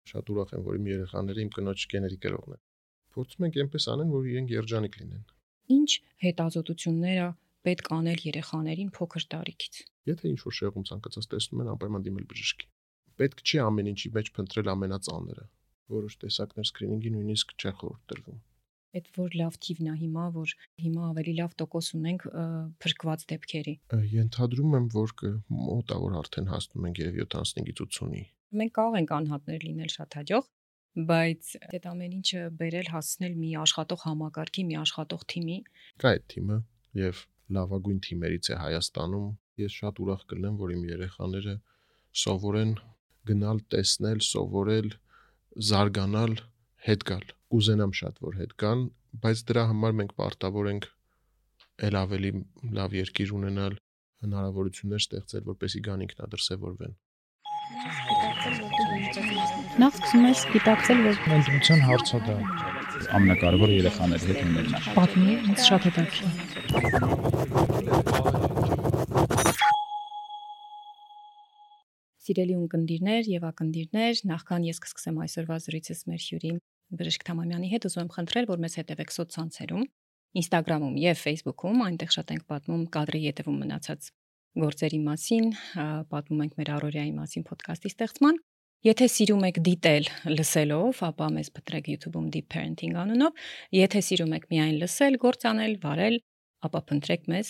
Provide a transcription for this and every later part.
Շատ ուրախ եմ, որ իմ երեխաները իմ կնոջ գեների կրողն են։ Փորձում ենք այնպես անեն, որ իրենք երջանիկ լինեն։ Ինչ հետազոտություններ է պետք անել երեխաներին փոքր տարիքից։ Եթե ինչ-որ շեղում ցանկացած տեսնում են, անպայման դիմել բժշկի։ Պետք չի ամեն ինչի մեջ փնտրել ամենածանրը։ Որոշ տեսակներ սկրինինգի նույնիսկ չեն խորհուրդ տրվում։ Այդ որ լավ թիվն է որ հիմա ավելի լավ տոկոս ունենք փրկված դեպքերի։ Ենթադրում եմ, որ մոտ է որ արդեն հասնում ենք երևի 75-ից 80-ի։ Մենք կարող ենք անհատներ լինել շատ հաջող, բայց այդ ամեն ինչը բերել հասնել մի աշխատող համակարգի, մի աշխատող թիմի։ Կա այդ թիմը եւ լավագույն թիմերից է Հայաստանում։ Ես շատ ուրախ կլինեմ, որ իմ երեխաները սովորեն գնալ, տեսնել, սովորել, զարգանալ, հետ գալ։ Կուզենամ շատ որ հետ գան, բայց դրա համար մենք պարտավոր ենք ել ավելի լավ երկիր ունենալ, հնարավորություններ ստեղծել, որպեսզի գան ինքնադրսևորվեն։ Նախ սկսում ես գիտակցել, որ ընտրության հարցը դա ամենակարևորը երեխաների հետ ունենալն է։ Պատմի, ինձ շատ հետաքրքիր։ Սիրելի ունկնդիրներ եւ ակնդիրներ, նախքան ես կսկսեմ այսօրվա զրույցս մեր հյուրի Բժիշկ Թամամյանի հետ, ուզում եմ խնդրել, որ մեզ հետևեք սոցցանցերում, Instagram-ում եւ Facebook-ում, այնտեղ շատ ենք պատմում կադրի ետևում մնացած գործերի մասին, պատմում ենք մեր առօրյայի մասին ոդկասթի ստեղծման։ Եթե սիրում եք դիտել լսելով, ապա մեզ փնտրեք YouTube-ում Deep Parenting անունով, եթե սիրում եք միայն լսել, գործանել, վարել, ապա փնտրեք մեզ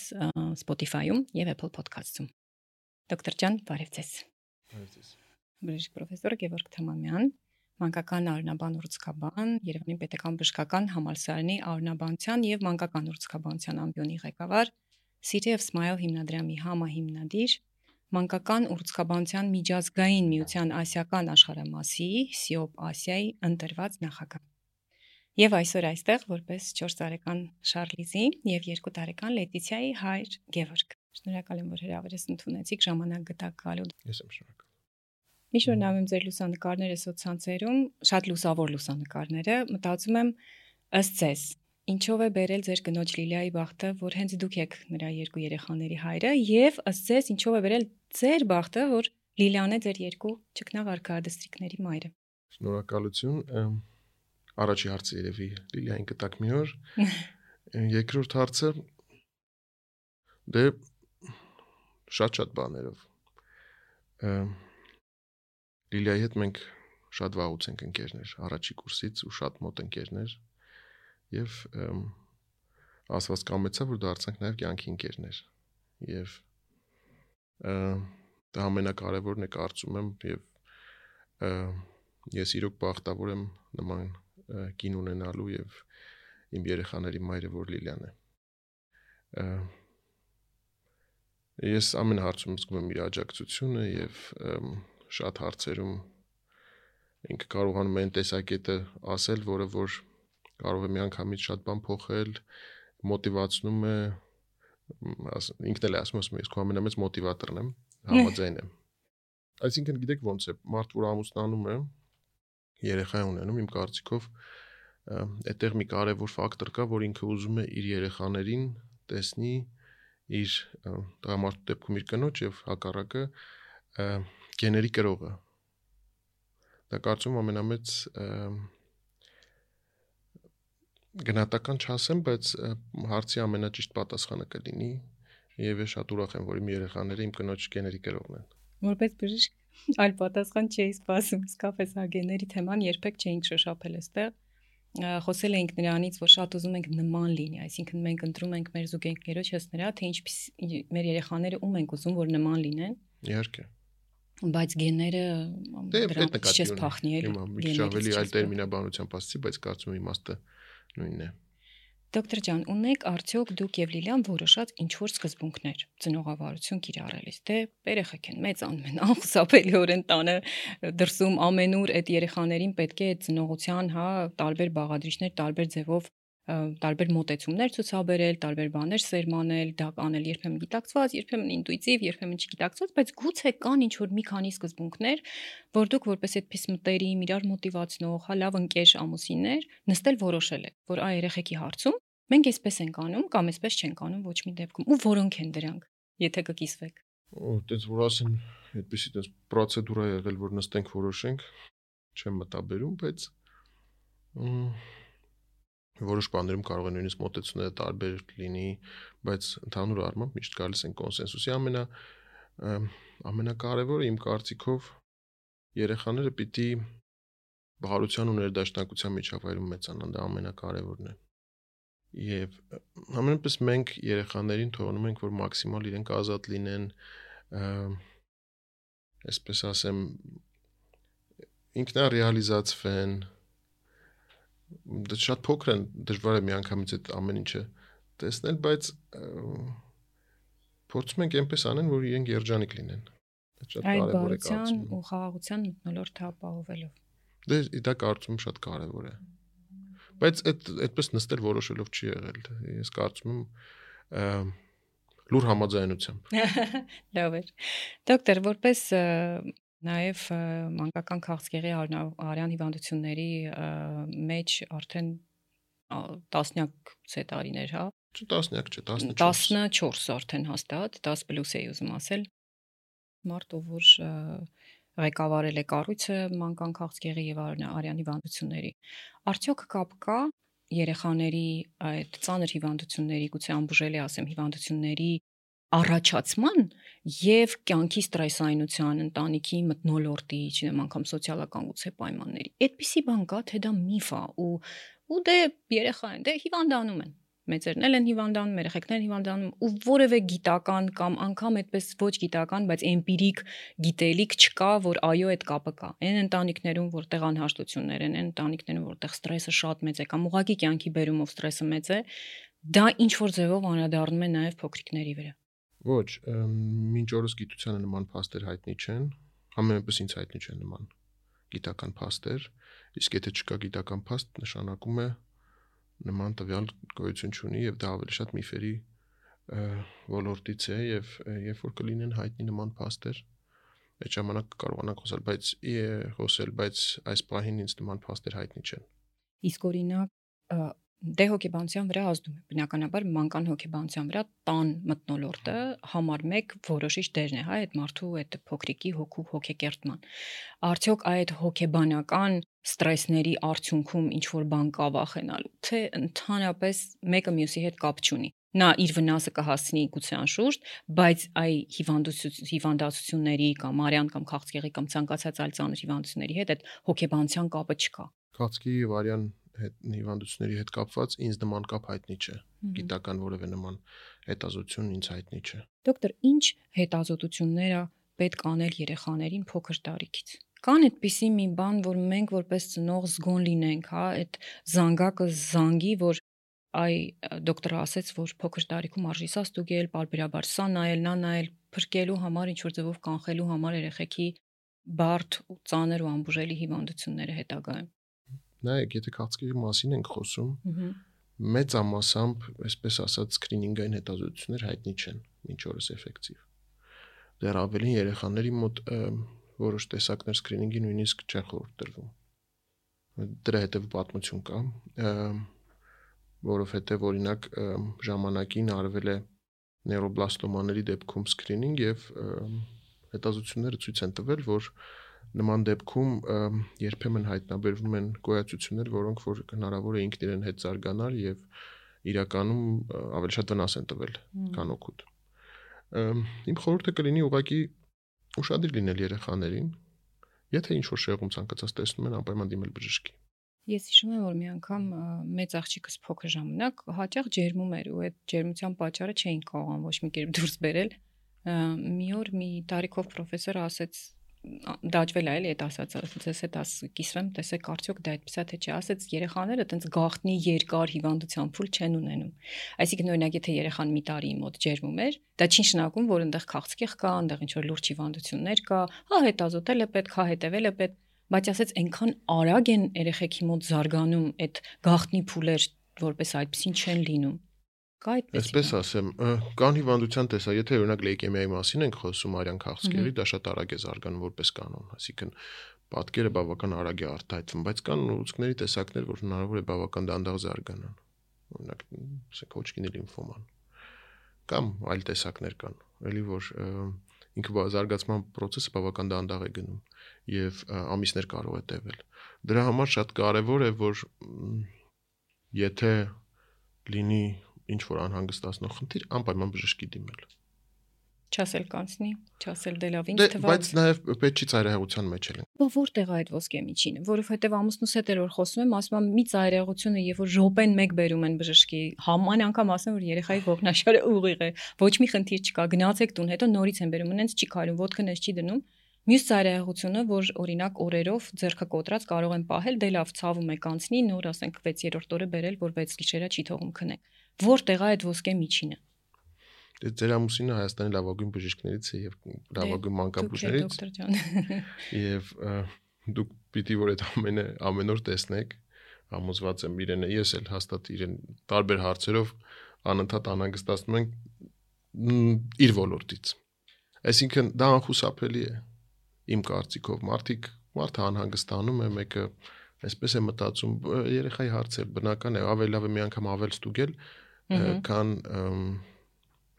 Spotify-ում եւ Apple Podcast-ում։ Դոկտոր ջան, բարև ձեզ։ Բարև ձեզ։ Բժիշկ պրոֆեսոր Գևորգ Թամամյան, մանկական արյունաբան ուրուցքաբան, Երևանի Պետական Բժշկական Համալսարանի արյունաբանության եւ մանկական ուրուցքաբանության ամբիոնի ղեկավար, City of Smile հիմնադրամի համահիմնադիր, մանկական ուրուցքաբանության միջազգային միության ասիական աշխարհամասի SIOP Ասիայի ընտրված նախագահ։ Եվ այսօր այստեղ որպես 4 տարեկան Շարլիզի եւ 2 տարեկան Լետիցիայի հայր Գևորգ։ Շնորհակալ եմ, որ հրավերս ընդունեցիք, ժամանակ գտաք գալու։ Ես եմ շնորհակալ։ Միշտ նայում ձեր լուսանկարները սոցցանցերում, շատ լուսավոր լուսանկարները, մտածում եմ ըստ ձեզ, ինչով է բերել ձեր կնոջ Լիլիայի բախտը, որ հենց դուք եք նրա 2 երեխաների հայրը, եւ ըստ ձեզ ինչով է բերել ձեր բախտը, որ Լիլիան է ձեր 2 ճկնաղ արքայադստրիկների մայրը։ Շնորհակալություն։ Առաջի հարցը երևի Լիլիային կտակ մի օր։ Երկրորդ հարցը դե շատ բաներով։ Լիլիայի հետ մենք շատ վաղուց ենք ընկերներ, առաջի կուրսից ու շատ մոտ ընկերներ եւ ասված կամեցա, որ դարձանք նաեւ կյանքի ընկերներ եւ դա ամենակարևորն է կարծում եմ եւ ես իրոք բախտավոր եմ նման կին ունենալու եւ իմ երեխաների մայրը որ Լիլիան է։ Ես ամեն հարցում զգում եմ իր աջակցությունը եւ շատ հարցերում ինքը կարողանում է այն տեսակետը ասել, որը որ կարող է միանգամից շատ բան փոխել, մոտիվացնում է, ինքն էլ է ասում, ես քո ամենամեծ մոտիվատորն եմ, համաձայն եմ։ Այսինքն գիտեք ոնց է, մարդ որ ամուսնանում է, երեխա է ունենում, իմ կարծիքով այդտեղ մի կարևոր ֆակտոր կա, որ ինքը ուզում է իր երեխաներին տեսնի իր տղամարդու դեպքում իր կնոջ եւ հակառակը գեների կրողը։ Դա կարծում ամենամեծ գնահատական չասեմ, բայց հարցի ամենաճիշտ պատասխանը կլինի եւ ես շատ ուրախ եմ, որ իմ երեխաները իմ կնոջ գեների կրողն են։ Որպես բժիշկ այլ պատասխան չէի սպասում, իսկապես գեների թեման երբեք չէինք շոշափել այստեղ։ Խոսել էինք նրանից, որ շատ ուզում ենք նման լինի, այսինքն մենք ընտրում ենք մեր զուգընկերոջս նրա, թե ինչպես մեր երեխաները ում ենք ուզում, որ նման լինեն։ Իհարկե։ Բայց գեները դրանից չես փախնի էլի։ Մի քիչ ավելի այլ տերմինաբանությամբ ասացի, բայց կարծում եմ իմաստը նույնն է։ Դոկտոր ջան, ունեք արդյոք դուք եւ Լիլիան որոշած ինչ որ սկզբունքներ ծնողավարություն կիրառելիս, թե երեխեք են մեծանում են, անխուսափելիորեն տանը դրսում ամենուր այդ երեխաներին պետք է ծնողության, տարբեր բաղադրիչներ, տարբեր ձևով տարբեր մոտեցումներ ցուցաբերել, տարբեր բաներ սերմանել, դա կանել երբեմն գիտակցված, երբեմն ինտուիտիվ, երբեմն չգիտակցված, բայց գուցե կան ինչ որ մի քանի սկզբունքներ, որ դուք որպես այդպես մտերիմ, իրար մոտիվացնող, լավ ընկեր ամուսիններ նստել որոշել եք, որ այ երեխեքի հարցում մենք այսպես ենք անում կամ այսպես չենք անում ոչ մի դեպքում, ու որոնք են դրանք, եթե կկիսվեք։ Այդպես որ ասեն, այդպեսի դες պրոցեդուրա եղել, որ նստենք որոշենք, չեմ մտաբերում, բայց որոշ բաներում կարող է նույնիսկ մոտեցումները տարբեր լինի, բայց ընդհանուր առմամբ միշտ գալիս են կոնսենսուսի ամենակարևորը իմ կարծիքով երեխաները պիտի բարության ու ներդաշնակության միջավայրում մեծանան, դա ամենակարևորն է։ Եվ ամենապես մենք երեխաներին թողնում ենք, որ մաքսիմալ իրենք ազատ լինեն, այսպես ասեմ, ինքնարեալիզացվեն, դա շատ փոքր են, դժվար է միանգամից այդ ամեն ինչը տեսնել, բայց փորձում ենք այնպես անեն, որ իրենք երջանիկ լինեն։ Դա շատ կարևոր է բարության ու խաղաղության մթնոլորտը ապահովելով։ Դա կարծում եմ շատ կարևոր է։ Բայց այդպես նստել որոշելով չի եղել։ Ես կարծում եմ լուր համաձայնությամբ։ Լավ է։ Դոկտոր, որպես նաև մանկական քաղցկեղի արյան հիվանդությունների մեջ արդեն տասնյակ տարիներ, հա։ Տասնյակ չէ, 14 արդեն հաստատ, 10+ էի ուզում ասել։ Մարդը, որ ղեկավարել է կառույցը մանկական քաղցկեղի եւ արյան հիվանդությունների։ Արդյոք կապ կա երեխաների այդ ծանր հիվանդությունների, գուցե անբուժելի ասեմ, հիվանդությունների առաջացման եւ կյանքի ստրեսայնության, ընտանիքի մթնոլորտի, չնայած անգամ սոցիալական գուցե պայմանների։ Այդպիսի բան կա, թե դա միֆ է ու դե երեխա են, դե հիվանդանում են։ Մեծերն են հիվանդանում, երեխեքներն հիվանդանում ու որևէ գիտական կամ անգամ այդպես ոչ գիտական, բայց էմպիրիկ գիտելիք չկա, որ այո, այդ կապը կա։ Այն ընտանիքներում, որտեղ անհաշտություններ են, այն ընտանիքներում, որտեղ ստրեսը շատ մեծ է կամ ուղղակի կյանքի բերումով ստրեսը մեծ է, դա ինչ որ ձևով անդրադառնում է նաև փոքրիկների վրա։ Ոչ, մինչ օրս գիտությանը նման փաստեր հայտնի չեն, համենայնպես ինձ հայտնի չեն նման գիտական փաստեր, իսկ եթե չկա գիտական փաստ, նշանակում է նման տվյալ գոյություն չունի եւ դա ավելի շատ միֆերի ոլորտից է եւ երբ որ կլինեն հայտնի նման փաստեր, այդ ժամանակ կարողանանք խոսել, բայց այս պահին ինձ նման փաստեր հայտնի չեն։ Իսկ օրինակ դե հոգեբանության վրա ազդում է բնականաբար մանկան հոգեբանության վրա տան մթնոլորտը համար 1 որոշիչ դերն է, հա, այդ մարդու այդ փոքրիկի հոգու հոգեկերտման։ Արդյոք այդ հոգեբանական ստրեսների արդյունքում ինչ որ բան կա վախենալու, թե ընդհանրապես մեկը մյուսի հետ կապ չունի։ Նա իր վնասը կհասցնի գուցե անշուշտ, բայց այ հիվանդացությունների կամ արյան կամ քաղցկեղի կամ ցանկացած այլ ծանր հիվանդությունների հետ այդ հոգեբանության կապը չկա։ Քաղցկեղի եւ արյան հիվանդությունների հետ կապված ինձ նման կապ հայտնի չէ։ Գիտական որևէ նման հետազոտություն ինձ հայտնի չէ։ Դոկտոր, ինչ հետազոտություններ է պետք անել երեխաներին փոքր տարիքից։ Կան այդպիսի մի բան, որ մենք որպես ծնող զգոն լինենք, հա, այդ զանգակը զանգի, որ այ դոկտորը ասեց, որ փոքր տարիքում արժի սա ստուգել, պարբերաբար սա նայել, նա նայել, փրկելու համար, ինչ որ ձևով կանխելու համար երեխեքի բարդ ու ծանր ու անբուժելի հիվանդությունները հետագայում։ Նայեք, եթե քաղցկեղի մասին ենք խոսում, մեծամասամբ, այսպես ասած, սկրինինգային հետազոտություններ հայտնի չեն, մինչ օրս էֆեկտիվ։ Դեռ ավելին երեխաների մոտ որոշ տեսակներ սկրինինգի նույնիսկ չեն խորհուրդ տրվում։ Դրա հետև պատմություն կա, որովհետև օրինակ ժամանակին արվել է նեյրոբլաստոմաների դեպքում սկրինինգ եւ հետազոտությունները ցույց են տվել, որ նման դեպքում երբեմն հայտնաբերվում են գոյացություններ, որոնք որ հնարավոր է ինքն իրեն հետ զարգանալ եւ իրականում ավելի շատ վնաս են տվել, քան օգուտ։ Իմ խորհուրդը կլինի ուղղակի ուշադիր լինել երեխաներին, եթե ինչ-որ շեղում ցանկացած տեսնում են, անպայման դիմել բժշկի։ Ես հիշում եմ, որ մի անգամ մեծ աղջիկս փոքր ժամանակ հաճախ ջերմում էր ու այդ ջերմության պատճառը չէին կարողանում ոչ մի կերպ դուրս բերել։ Մի օր մի տարիքով պրոֆեսորը ասեց, դաջվել է էլի այդ ասածը, ձեզ հետ կիսվեմ, տեսեք արդյոք դա այդպես է թե չէ, ասեց երեխաները տենց գաղտնի երկար հիվանդության փուլ չեն ունենում։ Այսինքն օրինակ եթե երեխան մի տարի մոտ ջերմում էր, դա չի նշանակում, որ այնտեղ քաղցկեղ կա, այնտեղ ինչ որ լուրջ հիվանդություններ կա, հա հետազոտել է պետք, հա հետևել է պետք, բայց ասեց այնքան արագ են երեխեքի մոտ զարգանում այդ գաղտնի փուլեր, որպես այդպեսին չեն լինում։ Կա այդպես։ Այսպես ասեմ, կան հիվանդության տեսա, եթե օրինակ լեյկեմիայի մասին ենք խոսում, արյան քաղցկեղի, դա շատ արագ է զարգանում որպես կանոն, այսինքն պատկերը բավական արագ է արտահայտվում, բայց կան ուռուցքների տեսակներ, որ հնարավոր է բավական դանդաղ զարգանան։ Օրինակ, ասենք Հոջկինի լիմֆոման։ Կամ այլ տեսակներ կան, էլի որ ինքը զարգացման process-ը բավական դանդաղ է գնում եւ ամիսներ կարող է տևել։ Դրա համար շատ կարեւոր է, որ եթե լինի ինչ որ անհանգստացնող խնդիր, անպայման բժշկի դիմել։ Չասել կանցնի, չասել դե լավ ինչ թվաց։ Բայց նաեւ պետք չի ծայրահեղության մեջ էլ։ Բա որտեղ է այդ ոսկե միջինը, որովհետեւ ամուսնուս հետ էր որ խոսում եմ, ասում եմ մի ծայրահեղությունը, երբ որ րոպեն մեկ բերում են բժշկի, համայն անգամ ասում որ երեխայի ողնաշարը ուղիղ է, ոչ մի խնդիր չկա, գնացեք տուն, հետո նորից են բերում, ինձ չի քայլում, ոդկը նես չի դնում։ Մյուս ծայրահեղությունը, որ օրինակ օրերով ձեռքը կոտրած կարող են պահել, դե լավ ցավում է կանցնի, նոր ասենք 6-րդ օրը բերել, որ 6 գիշերը չի թողում քնեք։ Որտեղ է այդ ոսկե միջինը։ Դե ձեր ամուսինը Հայաստանի լավագույն բժիշկներից է եւ լավագույն մանկաբույժներից։ Դոկտոր ջան։ Եվ դուք պիտի որ այդ ամեն օր տեսնեք, համոզված եմ իրենը, ես էլ հաստատ իրեն տարբեր հարցերով անընդհատ անհանգստացնում ենք իր ոլորտից։ Այսինքն դա անխուսափելի է իմ կարծիքով, մարդը անհանգստանում է, մեկը այսպես է մտածում, երեխայի հարցը բնական է, ավելի լավ է մի անգամ ավել ստուգել, քան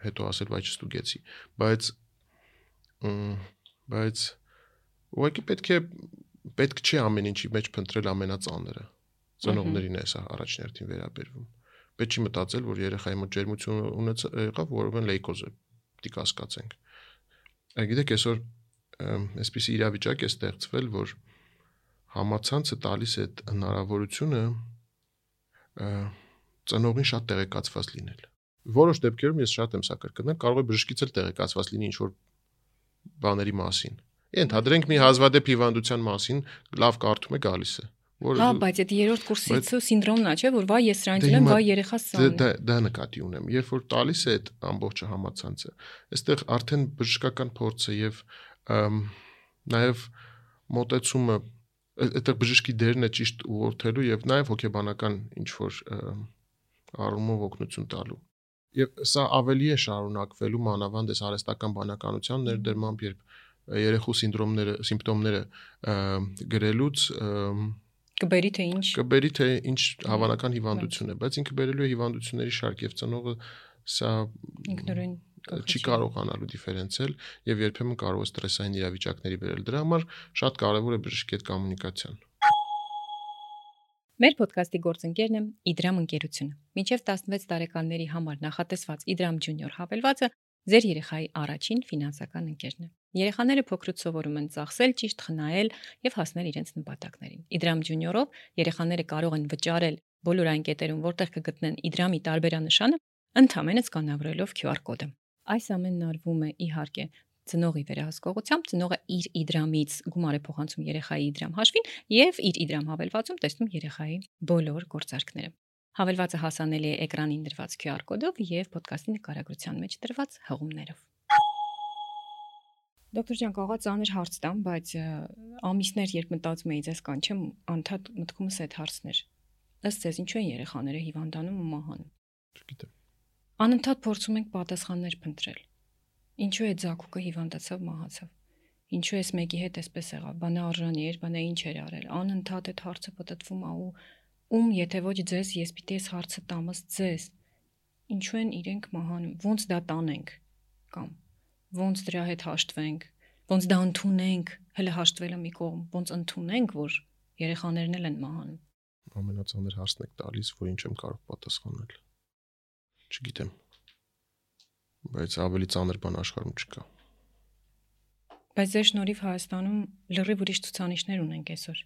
հետո ասել վայ չստուգեցի, բայց ուղղակի պետք չէ ամեն ինչի մեջ փնտրել ամենածանրը, ծնողներին է սա առաջներտին վերաբերվում, պետք չի մտածել, որ երեխայի մոտ ջերմություն եղավ, որովհետև լեյկոզ է, պիտի կասկածենք, գիտեք այսօր այսպիսի իրավիճակ է ստեղծվել, որ համացանցը տալիս է հնարավորությունը ծնողին շատ տեղեկացված լինել։ Որոշ դեպքերում ես շատ եմ սա կրկնել, կարող է բժշկից էլ տեղեկացված լինի ինչ-որ բաների մասին։ Ենթադրենք մի հազվադեպ հիվանդության մասին, լավ կարդում է գալիս է։ Հա, բայց այդ երրորդ կուրսից սինդրոմն է, չէ, որ վայ ես սրանից ունեմ, վայ երեխաս սան։ Դա նկատի ունեմ։ Երբ որ տալիս է այդ ամբողջը համացանցը, այստեղ արդեն բժշկական փորձը եւ նաեւ մոտեցումը, այդտեղ բժշկի դերն է ճիշտ ուղղորդելու եւ նաեւ հոգեբանական ինչ որ առումով օգնություն տալու։ Եվ սա ավելի է շարունակվելու մանավանդ այս արհեստական բանականության ներդրմամբ, երբ երեխու սիմպտոմները գրելուց կբերի թե ինչ հավանական հիվանդություն է, բայց ինքը բերելու է հիվանդությունների շարք եւ ծնողը սա ինքնուրույն չի կարողանալու դիֆերենցիալ եւ երբեմն կարող է ստրեսային իրավիճակների բերել։ Դրա համար շատ կարեւոր է բժշկի հետ կոմունիկացիան։ Մեր ոդկասթի գործընկերն է Իդրամ ընկերությունը։ Մինչև 16 տարեկանների համար նախատեսված Իդրամ Junior հավելվածը ձեր երեխայի առաջին ֆինանսական ընկերն է։ Երեխաները փոքրուց սովորում են ծախսել, ճիշտ խնայել եւ հասնել իրենց նպատակներին։ Իդրամ Junior-ով երեխաները կարող են վճարել բոլոր այն կետերում, որտեղ կգտնեն Իդրամի տարբերանշանը, ընդհանրապես սկանավորելով QR կոդը։ Այս ամենն արվում է իհարկե ծնողի վերահսկողությամբ, ծնողը իր Իդրամից գումար է փոխանցում երեխայի Իդրամ հաշվին եւ իր Իդրամ հավելվածում տեսնում երեխայի բոլոր գործարքները։ Հավելվածը հասանելի է էկրանին դրված QR կոդով եւ ոդկասթի նկարագրության մեջ դրված հղումներով։ Դոկտոր ջան, կարող է ծանր հարց տամ, բայց ամիսներ երբ մտածում էի ձեզ կանչեմ, անդադ մտքումս այդ հարցներ։ Ըստ ձեզ ինչու են երեխաները հիվանդանում ու մահանում։ Չգիտեմ։ Անընդհատ փորձում ենք պատասխաններ փնտրել։ Ինչու է Ձակուկը հիվանդացավ, մահացավ։ Ինչու էս մեկի հետ էսպես եղավ, բանա արժանի էր, բանա ինչ էր արել։ Անընդհատ այդ հարցը պատտվում է ու եթե ոչ ձեզ, ես պիտի այս հարցը տամս ձեզ։ Ինչու են իրենք մահանում, ոնց դա տանենք կամ ոնց դրա հետ հաշտվենք, ոնց դա ընդունենք, հələ հաշտվելը մի կողմ, ոնց ընդունենք, որ երեխաներն էլ են մահանում։ Ամենածանր հարցն եք տալիս, որ ինչ եմ կարող պատասխանել։ Չգիտեմ։ Բայց ավելի ծանր բան աշխարհում չկա։ Բայց ձեր շնորհիվ Հայաստանում լրիվ ուրիշ ցուցանիշներ ունենք այսօր։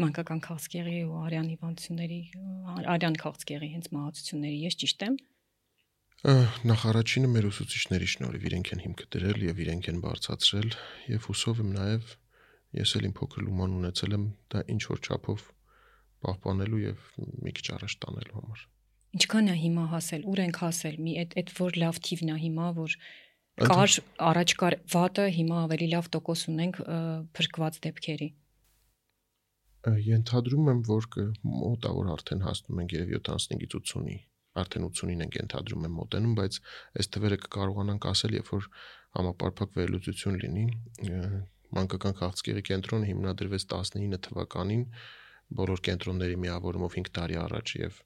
Մանկական քաղցկեղի ու արյան հիվանդությունների, արյան քաղցկեղի հենց մահացությունների, ես ճիշտ եմ։ Նախ առաջինը մեր ուսուցիչների շնորհիվ իրենք են հիմքը դրել եւ իրենք են բարձրացրել եւ հուսով եմ նաեւ ես էլ իմ փոքր լուման ունեցել եմ դա ինչ որ չափով պահպանելու եւ մի քիչ առաջ տանելու համար։ Ինչքան է հիմա հասել, ուր ենք հասել, մի այդ որ լավ թիվն է հիմա, որ կար առաջ կար վատը, հիմա ավելի լավ տոկոս ունենք փրկված դեպքերի։ Ենթադրում եմ, որ մոտա որ արդեն հասնում ենք երևի 75-ից 80-ի, արդեն 80-ին ենք ենթադրում եմ մոտենում, բայց այս թվերը կկարողանանք ասել, երբ որ համապարփակ վերլուծություն լինի։ Մանկական քաղցկեղի կենտրոնը հիմնադրվեց 19 թվականին բոլոր կենտրոնների միավորումով 5 տարի առաջ եւ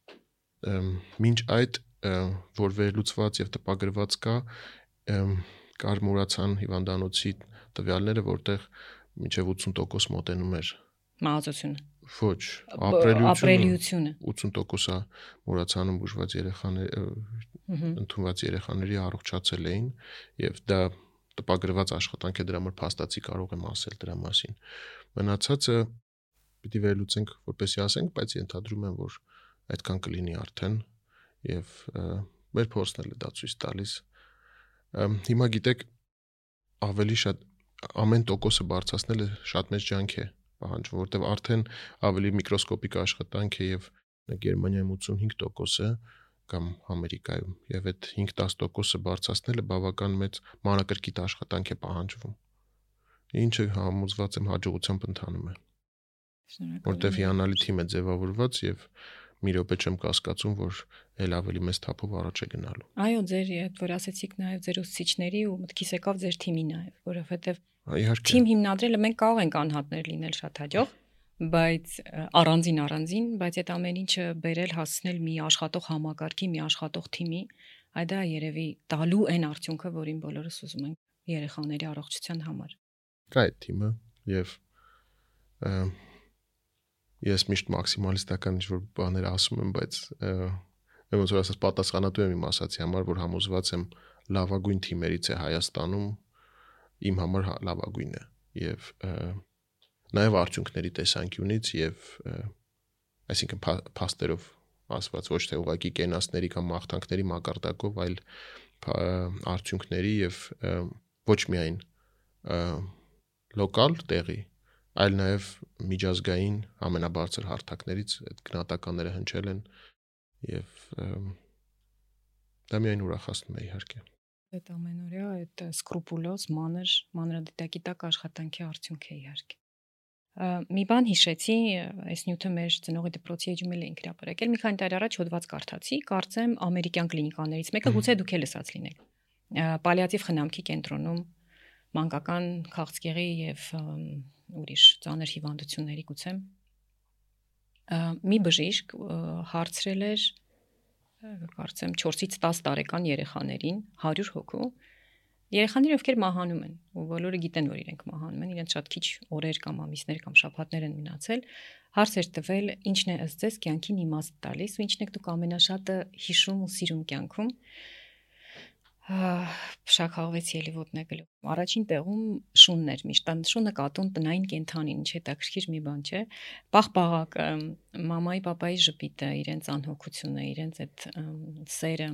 մինչ այդ որ վերլուծված եւ տպագրված կա կար մուրացան հիվանդանոցի տվյալները, որտեղ մինչև 80% մոտենում էր մահացությունը։ Ոչ, ապրելիությունը 80%-ը մուրացանում բուժված երեխաներ ընդունված երեխաների առողջացել էին եւ դա տպագրված աշխատանք է, դրա համար փաստացի կարող եմ ասել դրա մասին։ Մնացածը պիտի վերլուծենք, որպեսզի ասենք, բայց ենթադրում եմ, որ այդքան կլինի արդեն եւ մեր փորձն էլ է դա ցույց տալիս։ Հիմա գիտեք, ավելի շատ ամեն տոկոսը բարձրացնելը շատ մեծ ջանք է պահանջվում, որտեղ արդեն ավելի միկրոսկոպիկ աշխատանք է եւ Գերմանիայում 85% կամ Ամերիկայում եւ այդ 5-10% բարձրացնելը բավական մեծ մանրակրկիտ աշխատանք է պահանջվում։ Ինչը համոզված եմ հաջողությամբ ընթանում է։ Որտեղ հիանալի թիմ է ձևավորված եւ մի րոպե չեմ կասկածում, որ ել ավելի մեծ թափով առաջ է գնալու։ Այո, ձեր այդ որ ասեցիք նաեւ ձեր ուսուցիչների ու մտքիս եկավ ձեր թիմի նաեւ, որովհետեւ թիմ հիմնադրելը մենք կարող ենք անհատներ լինել շատ հաջող, բայց առանձին, բայց այդ ամեն ինչը բերել հասցնել մի աշխատող համակարգի, մի աշխատող թիմի, այդ դա երևի տալու այն արդյունքը, որին բոլորս ուզում ենք երեխաների առողջության համար։ Կա այդ թիմը եւ ես միշտ մաքսիմալիստական ինչ-որ բաներ ասում եմ, բայց ոնց որ ասած պատասխանատու եմ իմ ասացի համար, որ համոզված եմ լավագույն թիմերից է Հայաստանում, իմ համար լավագույնն է եւ նաեւ արդյունքների տեսանկյունից եւ այսինքն փաստերով ասված ոչ թե ուղղակի կենասների կամ մաղթանքների մակարդակով, այլ արդյունքների եւ ոչ միայն լոկալ տեղի, այլ նաեւ միջազգային ամենաբարձր հարթակներից այդ գնահատականները հնչել են եւ դա միայն ուրախացնում է իհարկե։ Այդ ամենօրյա այդ սկրուպուլոզ մանրադիտակիտակ աշխատանքի արդյունք է իհարկե։ Մի բան հիշեցի, այս նյութը մեր ծնողի դպրոցի էջում էլ ենք հրապարակել, մի քանի տարի առաջ հոդված կարդացի, կարծեմ ամերիկյան կլինիկաներից մեկը, գուցե դուք էլ լսած լինեք։ Պալիատիվ խնամքի կենտրոնում մանկական քաղցկեղի եւ ուրիշ ծանր հիվանդությունների գուցե մի բժիշկ հարցրել էր կարծեմ 4-ից 10 տարեկան երեխաներին 100 հոգու երեխաները ովքեր մահանում են ու բոլորը գիտեն որ իրենք մահանում են իրենց շատ քիչ օրեր կամ ամիսներ կամ շաբաթներ են մնացել հարց էր տվել ինչն է ըստ ձեզ կյանքին իմաստ տալիս ու ինչն եք դուք ամենաշատը հիշում ու սիրում կյանքում Շաքաղվեցի էլի ոտնեկել։ Առաջին տեղում շունն էր, միշտ շունը կատուն տնային կենդանին, ինչ հետաքրքիր մի բան չէ։ Պաղ-պաղակ մամայի, պապայի ժպիտը, իրենց անհոգությունը, իրենց այդ սերը։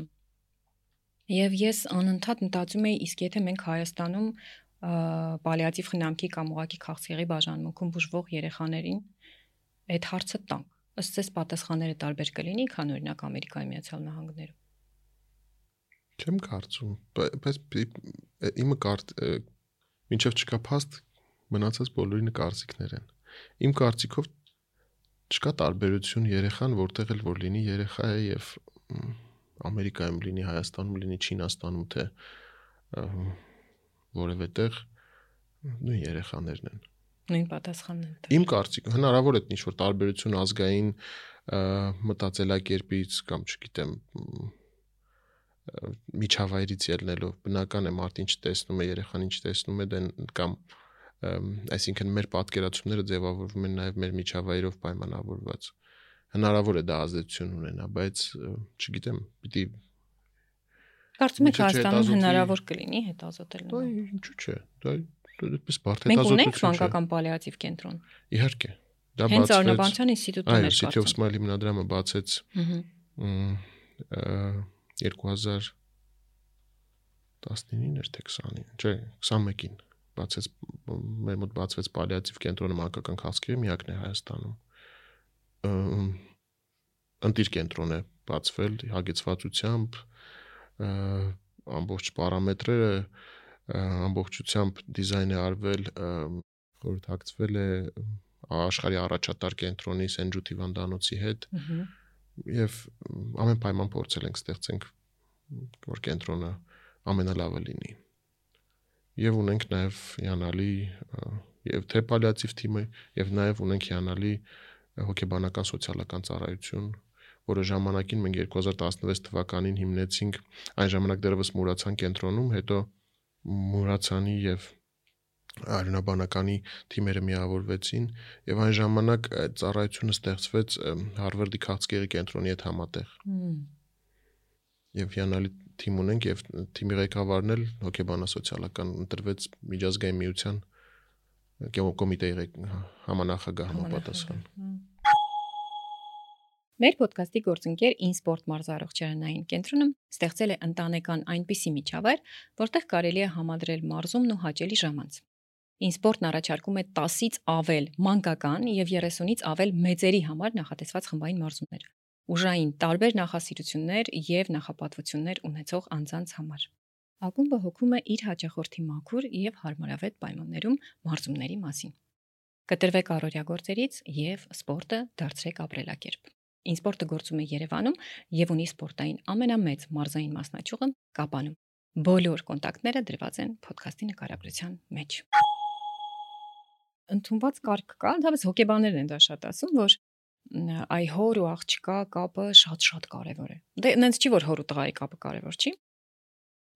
Եվ ես անընդհատ մտածում էի, իսկ եթե մենք Հայաստանում պալիատիվ խնամքի կամ ուղղակի քաղցկեղի բաժանմունքում բուժվող երեխաներին այդ հարցը տանք, ըստ ձեզ պատասխանները տարբեր կլինի, քան օրինակ Ամերիկայի Միացյալ Նահանգներում։ Չեմ կարծում, բայց իմը մինչև չկա փաստ մնացած բոլորի կարծիքներ են։ Իմ կարծիքով չկա տարբերություն երեխան, որտեղ էլ որ լինի երեխա է եւ Ամերիկայում լինի, Հայաստանում լինի, Չինաստանում թե որևէ տեղ նույն երեխաներն են։ Նույն պատասխանն են։ Իմ կարծիքով հնարավոր է ինչ-որ տարբերություն ազգային մտածելակերպից կամ չգիտեմ միջավայրից ելնելով բնական է մարդ ինչ տեսնում է երեխան ինչ տեսնում է դեն կամ այսինքն մեր պատկերացումները ձևավորվում են նաև մեր միջավայրով պայմանավորված հնարավոր է դա ազդեցություն ունենա բայց չգիտեմ պիտի կարծում եք Հայաստանում հնարավոր կլինի հետազոտել դա ինչու՞ չէ դա այդպես բարդ հետազոտություն չէ մենք ունենք մանկական պալիատիվ կենտրոն իհարկե դա բացվեց հենց Արնավանցյան ինստիտուտում էր City of Smile հիմնադրամը բացեց 2019-ին էր թե 20-ին, չէ, 21-ին բացեց մեր մոտ բացվեց պալիատիվ կենտրոնը մանկական քաղցկեղի միակն է Հայաստանում։ Ընտիր կենտրոն է բացվել հագեցվածությամբ, ամբողջ պարամետրերը ամբողջությամբ դիզայն է արվել, խորհրդակցվել է աշխարհի առաջատար կենտրոնի Սենջութ հիվանդանոցի հետ։ Եվ ամեն պայման փորձել ենք ստեղծենք որ կենտրոնը ամենալավը լինի։ Եվ ունենք նաև հիանալի եւ թե պալիատիվ թիմը եւ նաև ունենք հիանալի հոգեբանական սոցիալական ծառայություն, որը ժամանակին մենք 2016 թվականին հիմնեցինք, այն ժամանակ դեռևս մուրացան կենտրոնում, հետո Մուրացանի եւ Արյունաբանականի թիմերը միավորվեցին եւ այն ժամանակ այդ ծառայությունը ստեղծվեց Հարվարդի քաղցկեղի կենտրոնի հետ համատեղ։ Եվ հիանալի թիմ ունենք եւ թիմի ղեկավարն էլ հոգեբանասոցիալական ընտրվեց միջազգային միության կոմիտեի համանախագահ համապատասխան։ Մեր ոդկասթի գործընկեր InSport մարզարողջարանային կենտրոնում ստեղծել է ընտանեկան այնպիսի միջավայր, որտեղ կարելի է համադրել մարզումն ու հաճելի ժամանց։ InSport-ն առաջարկում է 10-ից ավել մանկական եւ 30-ից ավել մեծերի համար նախատեսված խմբային մարզումներ, ուժային տարբեր նախասիրություններ եւ նախապատվություններ ունեցող անձանց համար։ Ակումբը հոգում է իր հաճախորդի մաքուր եւ հարմարավետ պայմաններում մարզումների մասին։ Կտրվեք առօրյա գործերից եւ սպորտը դարձրեք ապրելակերպ։ InSport-ը գործում է Երևանում եւ ունի սպորտային ամենամեծ մարզային մասնաճյուղը Կապանում։ Բոլոր կոնտակտները դրված են ոդկասթի նկարագրության մեջ։ Ընդունված կարգ կա, դավս հոգեբաններն են դա շատ ասում, որ այ հոր ու աղջկա կապը շատ կարևոր է։ Դե նենց չի որ հոր ու տղայի կապը կարևոր չի,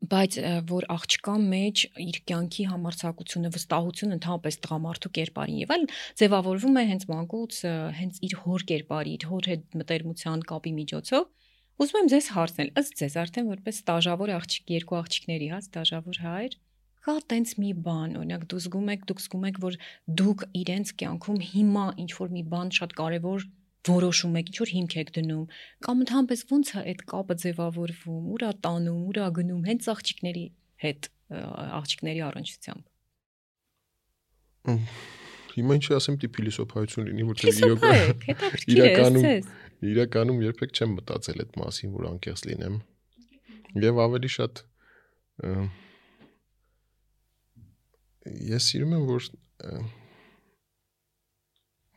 բայց որ աղջկա մեջ իր կյանքի համարձակությունը, վստահությունը ընդհանրապես տղամարդու կերպարին եւ այլն ձևավորվում է հենց մանկուց, հենց իր հոր կերպարի, իր հոր հետ մտերմության կապի միջոցով։ Ուզում եմ ձեզ հարցնել, ըստ ձեզ արդեն որպես ստաժավոր աղջիկ, երկու աղջիկների, ստաժավոր հայր, կա տենց մի բան, օրինակ դուք զգում եք, որ դուք իրենց կյանքում հիմա ինչ որ մի բան շատ կարևոր որոշում եք, ինչ որ հիմք եք դնում, կամ ընդհանրապես ոնց է այդ կապը ձևավորվում, ուրա տանում, ուրա գնում, հենց աղջիկների հետ, աղջիկների առնչությամբ։ Հիմա ինչ ասեմ, դի փիլիսոփայություն լինի, որտեղ իրականում երբեք չեմ մտածել այդ մասին, որ անկեղծ լինեմ։ Եվ ավելի շատ ես սիրում եմ, որ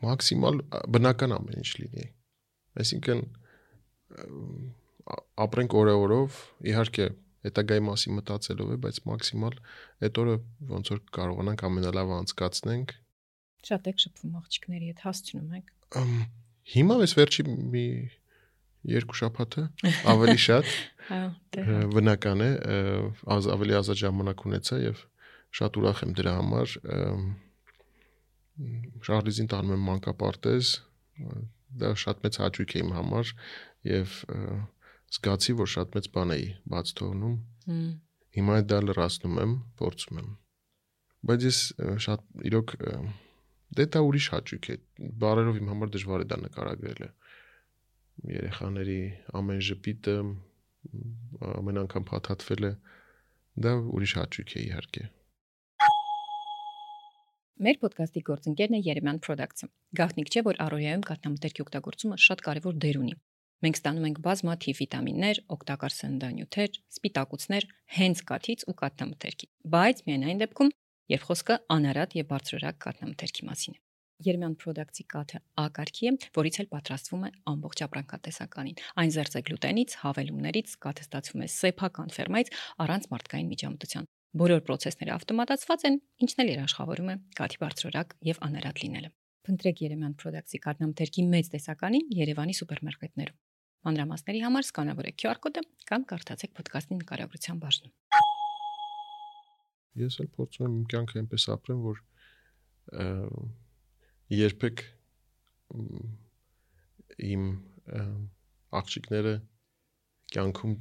մաքսիմալ բնական ամեն ինչ լինի։ Այսինքն ապրենք օրը-օրով, իհարկե հետագայի մասին մտածելով է, բայց մաքսիմալ այդ օրը ոնց որ կարողանանք ամենալավը անցկացնենք։ Շատ եք շփվում աղջիկների հետ, հասցնում եք։ Հիմա ես վերջի մի 2 շաբաթը ավելի շատ բնական է, ավելի ազատ ժամանակ ունեցա եւ շատ ուրախ եմ դրա համար։ Շարլիզին տանում եմ մանկապարտեզ, դա շատ մեծ հաճույք է իմ համար եւ զգացի, որ շատ մեծ բան էի բաց թողնում։ Հիմա դա լրացնում եմ, փորձում եմ։ Բայց ես շատ իրոք դա ուրիշ հաճույք է։ Բարերով իմ համար դժվար է դա նկարագրելը։ Երեխաների ամեն ժպիտը, ամեն անգամ փաթաթվելը, դա ուրիշ հաճույք է իհարկե։ Մեր ոդկասթի գործընկերն է Երեմյան Products-ը։ Գաղտնիք չէ, որ առօրյայում կաթնամթերքի օգտագործումը շատ կարևոր դեր ունի։ Մենք ստանում ենք բազմաթիվ վիտամիններ, օգտակար սննդանյութեր, սպիտակուցներ հենց կաթից ու կաթնամթերքի, բայց միայն այն դեպքում, երբ խոսքը անարատ եւ բարձրորակ կաթնամթերքի մասին է։ Երեմյան Products-ի կաթը A կարգի է, որից էլ պատրաստվում է ամբողջ ապրանքատեսականին։ Այն զերծ է գլուտենից, հավելումներից, կաթը ստացվում է սեփական ֆերմայից առանց մարդկային միջամտության։ Բոլոր process-ները ավտոմատացված են, ինչն էլ երաշխավորում է կաթի բարձրորակ եւ անարատ լինելը։ Փնտրեք Երեմյան Products-ի կաթնամթերքի մեծ տեսականին Երևանի սուպերմարկետներում։ Մանրամասների համար սկանավորեք QR կոդը կամ կարդացեք ոդկասթի նկարագրության բաժնում։ Ես էլ փորձում եմ իմ կյանքը այնպես ապրեմ, որ երբեք իմ աղջիկները կյանքում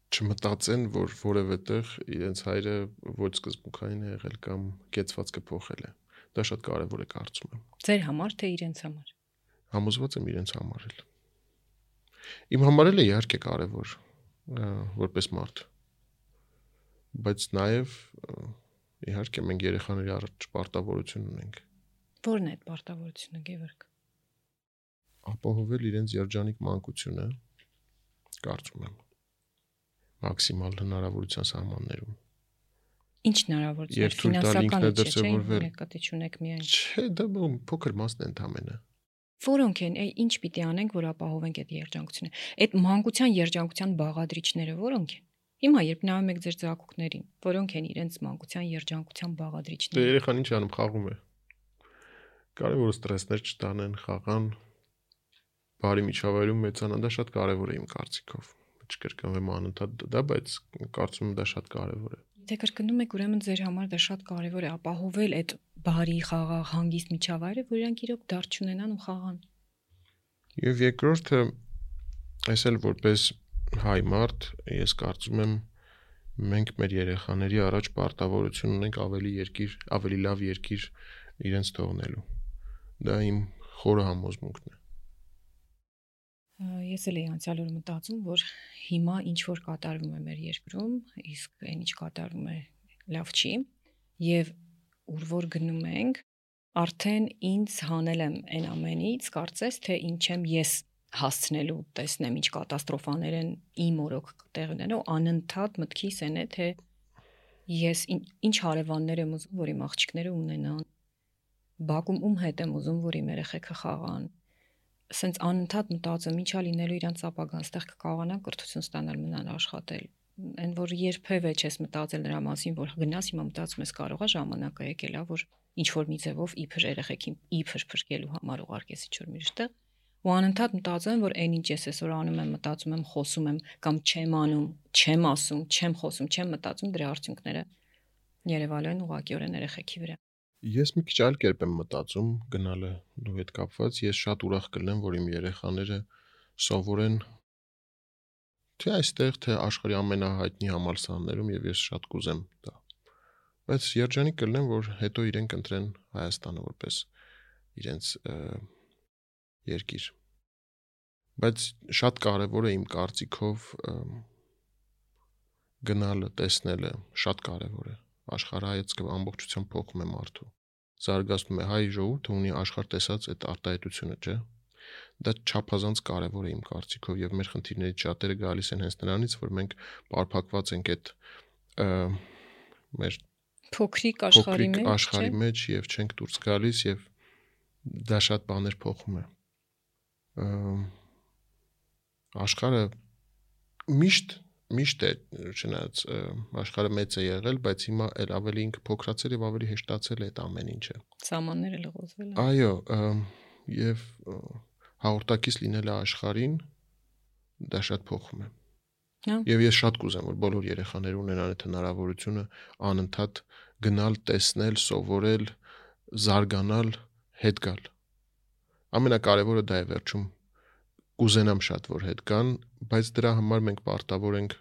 չմտածեն, որ որևէ տեղ իրենց հայրը ոչ սկզբունքային է եղել կամ կեցված կփոխել է։ Դա շատ կարևոր է կարծում եմ։ Ձեր համար թե իրենց համար։ Համոզված եմ իրենց համար էլ։ Իմ համար էլ է իհարկե կարևոր, որպես մարդ։ Բայց նաև իհարկե մենք երեխաների առաջ պարտավորություն ունենք։ Որն է այդ պարտավորությունը, Գևորգ։ Ապահովել իրենց երջանիկ մանկությունը, կարծում եմ, մաքսիմալ հնարավորության սահմաններում։ Ինչ հնարավորություններ ֆինանսական չէ, նկատի չունեք միայն։ Չէ, դա փոքր մասն է ընդամենը։ Որոնք են, ինչ պիտի անենք, որ ապահովենք այդ երջանկությունը։ Այդ մանկության երջանկության բաղադրիչները որոնք են։ Հիմա երբ նայում եք ձեր ծագուկներին, որոնք են իրենց մանկության երջանկության բաղադրիչները։ Դե երեխան ինչ անում, խաղում է։ Կարևոր ստրեսներ չտանեն, խաղան, բարի միջավայրում մեծանան, դա շատ կարևոր է իմ կարծիքով։ չկրկնվեմ անընդհատ դա, բայց կարծում եմ դա շատ կարևոր է։ Թե կրկնում եք, ուրեմն ձեր համար դա շատ կարևոր է ապահովել այդ բարի խաղաղ հանգիստ միջավայրը, որ իրանք իրոք դարձ չունենան ու խաղան։ Եվ երկրորդը, այս էլ որպես հայ մարդ, ես կարծում եմ մենք մեր երեխաների առաջ պարտավորություն ունենք ավելի լավ երկիր իրենց թողնելու։ Դա իմ խորը համոզմունքն է։ Ես էլ էի անցյալ օր մտածում, որ հիմա ինչ որ կատարվում է մեր երկրում, իսկ այն ինչ կատարվում է լավ չի, եւ ուր որ գնում ենք, արդեն ինձ հանել եմ այն ամենից, կարծես թե ինչ եմ ես հասցնելու, տեսնեմ ինչ կատաստրոֆաներ են իմ օրոք տեղ ունենալու, անընդհատ մտքիս են է, թե ես ինչ հարևաններ եմ ուզում, որ իմ աղջիկները ունենան, բակում ում հետ եմ ուզում, որ իմ երեխեքը խաղան, սենց անընդհատ մտածում ինչա լինելու իրանց ապագան, ստեղ կկարողանան կրթություն ստանալ, մնալ աշխատել, այն որ երբևէ չես մտածել նրա մասին, որ գնաս հիմա մտածում ես կարողա ժամանակը եկել է, որ ինչ որ մի ձևով իբր երեխեքին իբր փրկելու համար ուղարկես ինչ որ միշտ ու անընդհատ մտածում եմ, որ այն ինչ ես այսօր անում եմ, մտածում եմ, խոսում եմ կամ չեմ անում, չեմ ասում, չեմ խոսում, չեմ մտածում, դրա արդյունքները երևալու են ուղղակիորեն երեխեքի վրա։ Ես մի քիչ այլ կերպ եմ մտածում գնալը դու հետ կապված, ես շատ ուրախ կլինեմ, որ իմ երեխաները սովորեն թե այստեղ, թե աշխարհի ամենահայտնի համալսարաններում եւ ես շատ կուզեմ դա։ Բայց երջանիկ կլինեմ, որ հետո իրենք ընտրեն Հայաստանը որպես իրենց երկիր։ Բայց շատ կարևոր է իմ կարծիքով գնալը, տեսնելը, շատ կարևոր է։ Աշխարհայացքը ամբողջությամբ փոխում է մարդու։ Զարգացնում է հայ ժողովուրդը ունի աշխարհ տեսած այդ արտահայտությունը, չէ՞։ Դա չափազանց կարևոր է իմ կարծիքով եւ մեր խնդիրներից շատերը գալիս են հենց նրանից, որ մենք պարփակված ենք այդ մեր փոքրիկ աշխարհի մեջ եւ չենք դուրս գալիս եւ դա շատ բաներ փոխում է։ Աշխարհը միշտ է, չնայած աշխարհը մեծ է եղել, բայց հիմա էլ ավելի ինքը փոքրացել եւ ավելի հեշտացել է այդ ամեն ինչը։ Սահմանները լղոզվել են։ Այո, եւ հաղորդակից լինելը աշխարհին դա շատ փոխում է։ Եվ ես շատ կուզեմ, որ բոլոր երեխաները ունենան այդ հնարավորությունը անընդհատ գնալ, տեսնել, սովորել, զարգանալ, հետ գալ։ Ամենակարևորը դա է վերջում։ Կուզենամ շատ, որ հետ գան, բայց դրա համար մենք պարտավոր ենք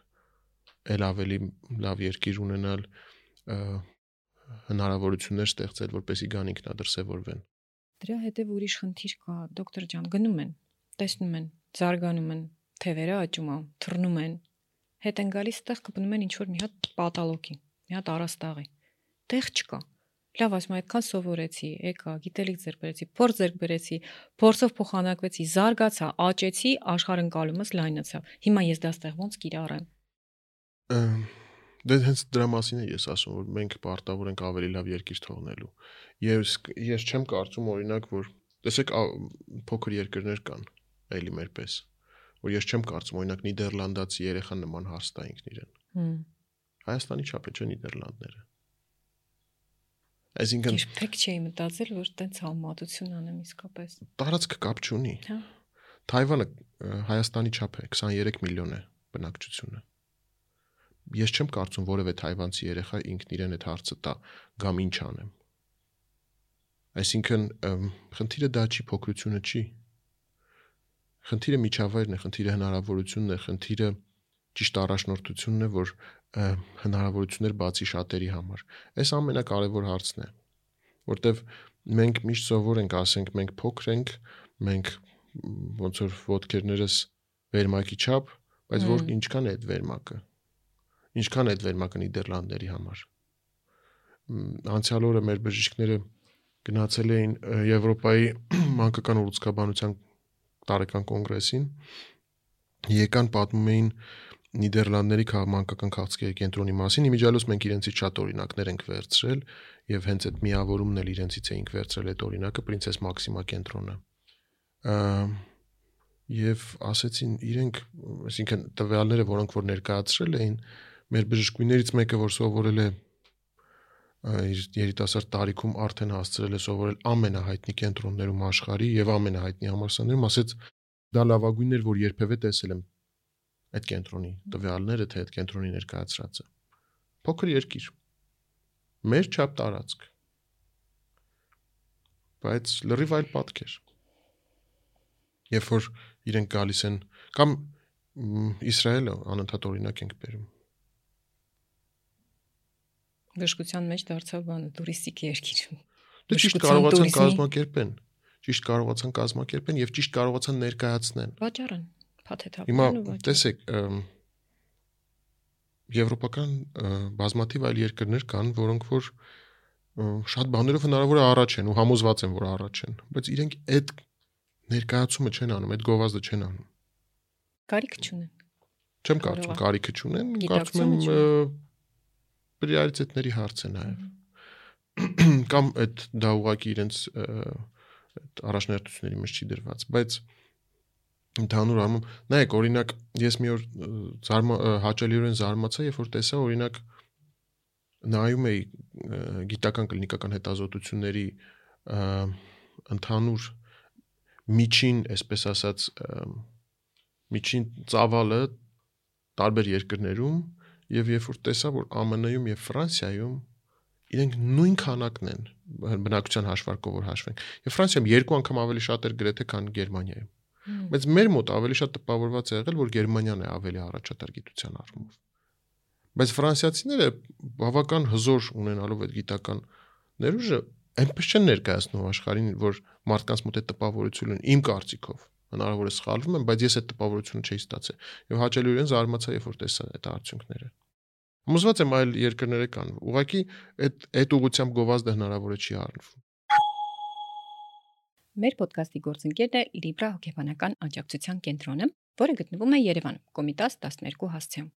էլ ավելի լավ երկիր ունենալ, հնարավորություններ ստեղծել, որպեսզի գան ինքնադրսևորվեն։ Դրա հետև ուրիշ խնդիր կա, դոկտոր ջան, գնում են, տեսնում են, զարգանում են, թևերը աճում են, թռնում են, հետ են գալիս տեղ կպնում են ինչ որ մի հատ պատալոկի, մի հատ առաստաղի։ Տեղ չկա։ Լավ, ասում եմ, այդքան սովորեցի, եկա, գիտելիք ձեռք բերեցի, փորձ ձեռք բերեցի, փորձով փոխանակվեցի, զարգացա, աճեցի, աշխարհընկալումս լայնացավ։ Հիմա ես դա ստեղ ոնց կիրառեմ։ Դե հենց դրա մասին է ես ասում, որ մենք պարտավոր ենք ավելի լավ երկիր թողնելու։ Ես չեմ կարծում օրինակ, որ տեսեք փոքր երկրներ կան, էլի մեր պես, որ ես չեմ կարծում օրինակ նիդերլանդացի երեխան նման հարց տա ինքն իրեն։ Հայաստանի չափ է, չէ՞ Նիդերլանդները։ Այսինքն երբեք չէի մտածել, որ տենց համեմատություն անեմ իսկապես։ Տարածքը կապ չունի։ Թայվանը Հայաստանի չափ է, 23 միլիոն է բնակչությունը։ Ես չեմ կարծում որևէ թայվանցի երեխա ինքն իրեն այդ հարցը տա, գամ ինչ անեմ։ Այսինքն խնդիրը դա չի, փոքրությունը չի։ Խնդիրը միջավայրն է, խնդիրը հնարավորությունն է, խնդիրը ճիշտ առաջնորդությունն է, որ հնարավորություններ բացի շատերի համար։ Այս ամենակարևոր հարցն է, որտեվ մենք միշտ սովոր ենք ասենք, մենք փոքր ենք, մենք ոնց որ ոտքերներս վերմակի չափ, բայց որ ինչքան է այդ վերմակը։ Ինչքան է այդ վերմակը Նիդերլանդների համար։ Անցյալ օրը մեր բժիշկները գնացել էին Եվրոպայի մանկական ուռուցքաբանության տարեկան կոնգրեսին, եկան պատմում էին Նիդերլանդների մանկական քաղցկեղի կենտրոնի մասին, իմիջիալոց մենք իրենցից շատ օրինակներ ենք վերցրել եւ հենց այդ միավորումն էլ իրենցից էինք վերցրել այդ օրինակը Պրինցես Մաքսիմա կենտրոնը։ Եվ ասեցին իրենք, այսինքն տվյալները, որոնք որ ներկայացրել էին, մեր բժշկուհիներից մեկը, որ սովորել է իր երիտասարդ տարիքում արդեն հասցրել է սովորել ամենահայտնի կենտրոններում աշխարհի եւ ամենահայտնի համալսարաններում, ասեց դա լավագույնն էր, որ երբևէ տեսել եմ։ այդ կենտրոնի տվյալները, թե այդ կենտրոնի ներկայացրածը։ Փոքր երկիր։ Մեր չափ տարածք։ Բայց լրիվ այլ պատկեր։ Երբ որ իրենք գալիս են կամ Իսրայելը անընդհատ օրինակ ենք բերում։ Բժշկության մեջ դարձավ բանը տուրիստիկ երկիր։ Դե ճիշտ կարողացան կազմակերպեն եւ ճիշտ կարողացան ներկայացնեն։ Վաճառեն, փաթեթավորեն Հիմա ու վաճառեն։ տեսեք, եվրոպական բազմաթիվ այլ երկրներ կան, որոնք որ շատ բաներով հնարավոր է առաջ են ու համոզված են, որ առաջ են, բայց իրենք այդ ներկայացումը չեն անում, այդ գովազդը չեն անում։ Կարիք չունեն։ Չեմ կարծում կարիքը չունեն, կարծում եմ պրիորիտետների հարց է նաև։ Կամ դա ուղղակի իրենց առաջնահերթությունների մեջ չի դրված, բայց ընդհանուր առմամբ, նայեք, օրինակ, ես մի օր հաճելիորեն զարմացա, երբ որ տեսա, օրինակ, նայում էի գիտական կլինիկական հետազոտությունների ընդհանուր միջին, այսպես ասած, միջին ծավալը տարբեր երկրներում եւ երբ որ տեսա, որ ԱՄՆ-ում եւ Ֆրանսիայում իրենք նույն քանակն են բնակչության հաշվարկով որ հաշվենք։ Եվ Ֆրանսիայում 2 անգամ ավելի շատ էր գրեթե, քան Գերմանիայում։ Բայց մեր մոտ ավելի շատ տպավորված է եղել, որ Գերմանիան է ավելի առաջատար գիտության առումով։ Բայց ֆրանսիացիները բավական հզոր ունենալով այդ գիտական ներուժը այնպես չեն ներկայացնում աշխարհին, որ մարդկանց մոտ այդ տպավորությունն իմ կարծիքով հնարավոր է սխալվում եմ, բայց ես այդ տպավորությունը չէի ստացել։ Եվ հաճելիորեն զարմացա, երբ որ տեսա այդ արդյունքները։ Համոզված եմ այլ երկրներ կան։ Ուղղակի այդ ուղղությամբ գովազդը հնարավոր է չի առնվում։ Մեր ոդկասթի գործընկերն է Libra հոգեբանական աջակցության կենտրոնը, որը գտնվում է Երևանում, Կոմիտաս 12 հասցեում։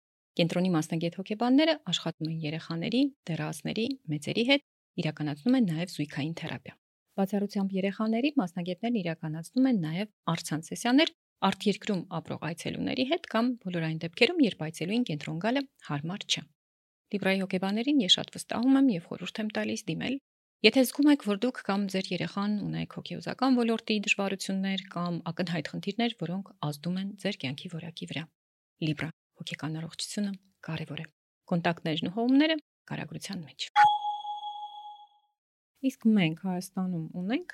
Կենտրոնի մասնագետ հոգեբանները աշխատում են երեխաների, դեռահասների, մեծերի հետ, իրականացնում են նաև զույգային թերապիա։ Բացառությամբ երեխաների մասնագետներն իրականացնում են նաև առցանց սեսիաներ արտերկրում ապրող այցելուների հետ կամ բոլոր այն դեպքերում, երբ այցելուին կենտրոն գալը հարմար չէ։ Libra-ի հոգեբաներին ես շատ վստահում եմ եւ խորհուրդ եմ տալիս դիմել։ Եթե զգում եք, որ դուք կամ ձեր երեխան ունեք հոգեուզական ոլորտի դժվարություններ կամ ակնհայտ խնդիրներ, որոնք ազդում են ձեր կյանքի որակի վրա, Libra հոգեկան առողջությունը կարևոր է։ Կոնտակտներն ու հողումները կարագրության մեջ։ Իսկ մենք Հայաստանում ունենք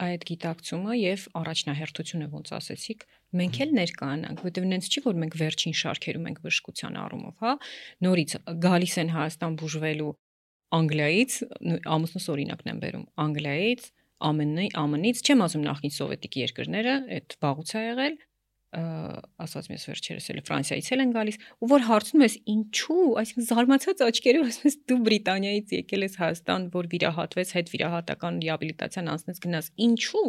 այդ գիտակցումը եւ առաջնահերթությունը, ոնց ասեցիք, մենք էլ ներկանանք, որտեղ նենց չի, որ մենք վերջին շարքերում ենք բժշկության առումով, հա, նորից գալիս են Հայաստան բուժվելու Անգլիայից, ամուսնուս օրինակն եմ բերում, Անգլիայից, ԱՄՆ-ից, չեմ ասում նախկին սովետիկ երկրները, այդ վաղուց է եղել, ասած ես վերջերս էլ Ֆրանսիայից էլ են գալիս, ու որ հարցնում ես ինչու, այսինքն զարմացած աչքերով ասում ես դու Բրիտանիայից եկել ես Հայաստան, որ վիրահատվես, հետ վիրահատական ռեաբիլիտացիան անցնես գնաս, ինչու։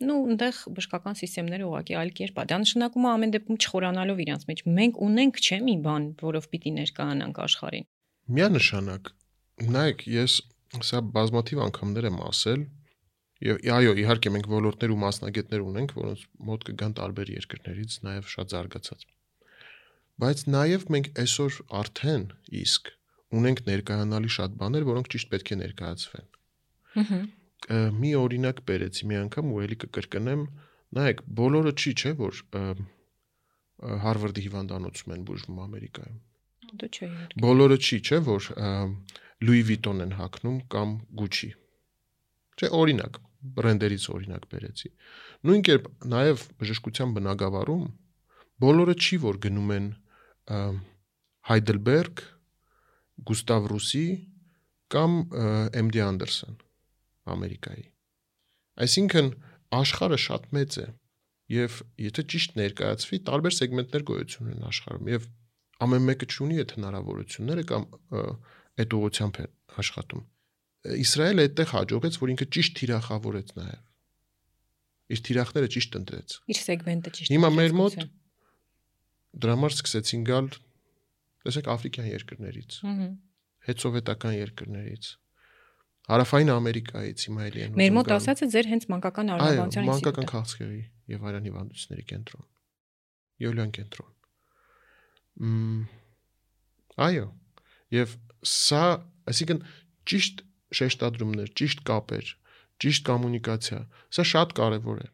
Ну, այնտեղ բժշկական համակարգերը ուղղակի այլ կերպ է։ Դա նշանակում է ամեն դեպքում չխորանալով իրանց մեջ։ Մենք ունենք չէ՞ մի բան, որով պիտի ներկայանանք աշխարհին։ Միանշանակ։ Նայեք, ես սա բազմաթիվ անգամներ եմ ասել, եւ այո, իհարկե մենք ոլորտներ ու մասնագետներ ունենք, որոնց մոտ կգան տարբեր երկրներից, նաեւ շատ զարգացած։ Բայց նաեւ մենք այսօր արդեն իսկ ունենք ներկայանալի շատ բաներ, որոնք ճիշտ պետք է ներկայացվեն։ Մի օրինակ բերեցի մի անգամ ու ելի կկրկնեմ, նայեք, բոլորը չի, չէ, որ Հարվարդի հիվանդանոցում են բուժվում Ամերիկայում։ Դու չէ։ Բոլորը չի, չէ, որ Louis Vuitton են հագնում կամ Gucci։ Չէ, օրինակ, բրենդերից օրինակ բերեցի։ Նույն կերպ նաև բժշկության բնագավառում բոլորը չի, որ գնում են Heidelberg, Gustav Roussy կամ MD Anderson Ամերիկայի։ Այսինքն աշխարհը շատ մեծ է եւ եթե ճիշտ ներկայացվի, տարբեր սեգմենտներ գոյություն ունեն աշխարհում եւ ամեն մեկը չունի այդ հնարավորությունները կամ այդ ուղղությամբ է աշխատում։ Իսրայելը այդտեղ հաջողեց, որ ինքը ճիշտ թիրախավորեց նաև։ Իր թիրախները ճիշտ ընտրեց։ Իր սեգմենտը ճիշտ։ Հիմա մեր մոտ դրա համար սկսեցին գալ, տեսեք, աֆրիկյան երկրներից, հետսովետական երկրներից, Հարավային Ամերիկայից, հիմա էլի են։ Մեր մոտ ասածը ձեր հենց մանկական արարողության ինստիտուտ։ Մանկական քաղցկեղի եւ այլն հիվանդությունների կենտրոն։ Յոլյան կենտրոն։ Այո, եւ սա, այսինքն ճիշտ շեշտադրումներ, ճիշտ կապեր, ճիշտ կոմունիկացիա, սա շատ կարևոր է։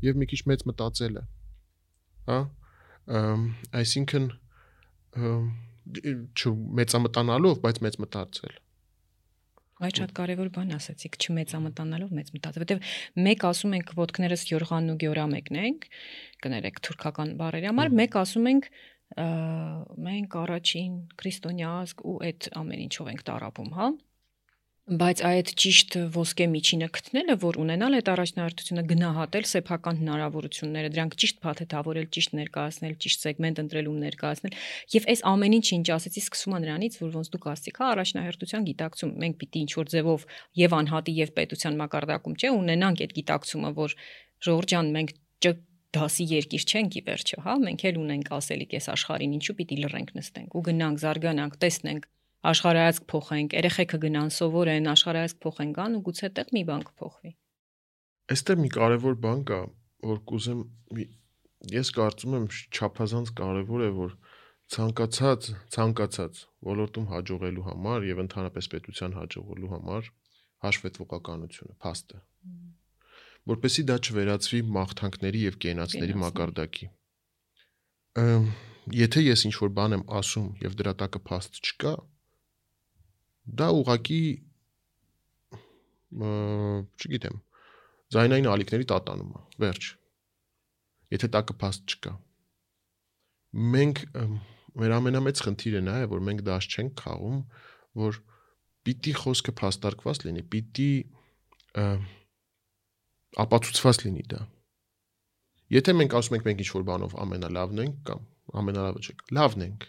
Եվ մի քիչ մեծ մտածելը, հա, Այսինքն չմեծամտանալով, բայց մեծ մտածել։ Այդ շատ կարևոր բան ասացիք, չմեծամտանալով մեծ մտածել, որտեվ մեկ ասում ենք ոտքներս Գյորղանն ու Գյորամեկն ենք, կներեք թուրքական բառերի համար, մեկ ասում ենք մենք առաջին քրիստոնյա ազգ ու այդ ամեն ինչով ենք տարապում, հա։ Բայց այդ ճիշտ ոսկե միջինը գտնելը, որ ունենալ այդ առաջնահերթությունը, գնահատել սեփական հնարավորությունները, դրանք ճիշտ փաթեթավորել, ճիշտ ներկայացնել, ճիշտ սեգմենտ ընտրելում ներկայացնել, եւ այս ամեն ինչը ինչ ասեցի, սկսում է նրանից, որ ոնց դուք ասացիք, հա, առաջնահերթության գիտակցում, մենք պիտի ինչ-որ ձևով եւ անհատի եւ պետության մակարդակում, չէ, ունենանք այդ գիտակցումը, որ Ժողովուրդ ջան, մենք դասի երկիր չենք ի վերջո, հա, մենք էլ ունենք ասելիք այս աշխարհին, ինչու պիտի լռենք նստենք ու գնանք, զարգանանք, տեսնենք, աշխարհայացք փոխենք, երեխեքը գնան սովորեն, աշխարհայացք փոխեն գան ու գուցե այդտեղ մի բան կփոխվի։ Այստեղ մի կարևոր բան կա, որ կուզեմ, ես կարծում եմ չափազանց կարևոր է, որ ցանկացած ոլորտում հաջողելու համար եւ ընդհանրապես պետության հաջողելու համար հաշվետվողականությունը, փաստը, որպեսզի դա չվերածվի մաղթանքների եւ կենացների մակարդակի։ Եթե ես ինչ-որ բան եմ ասում եւ դրա տակը փաստ չկա, դա ուղղակի չգիտեմ, ձայնային ալիքների տատանում է, վերջ։ Եթե տակը փաստ չկա։ Մենք մեր ամենամեծ խնդիրը նա է, որ մենք դաշ չենք խաղում, որ պիտի խոսքը փաստարկված լինի, պիտի ապացուցված լինի դա։ Եթե մենք ասում ենք մենք ինչ-որ բանով ամենալավն ենք կամ ամենալավը չենք, լավն ենք։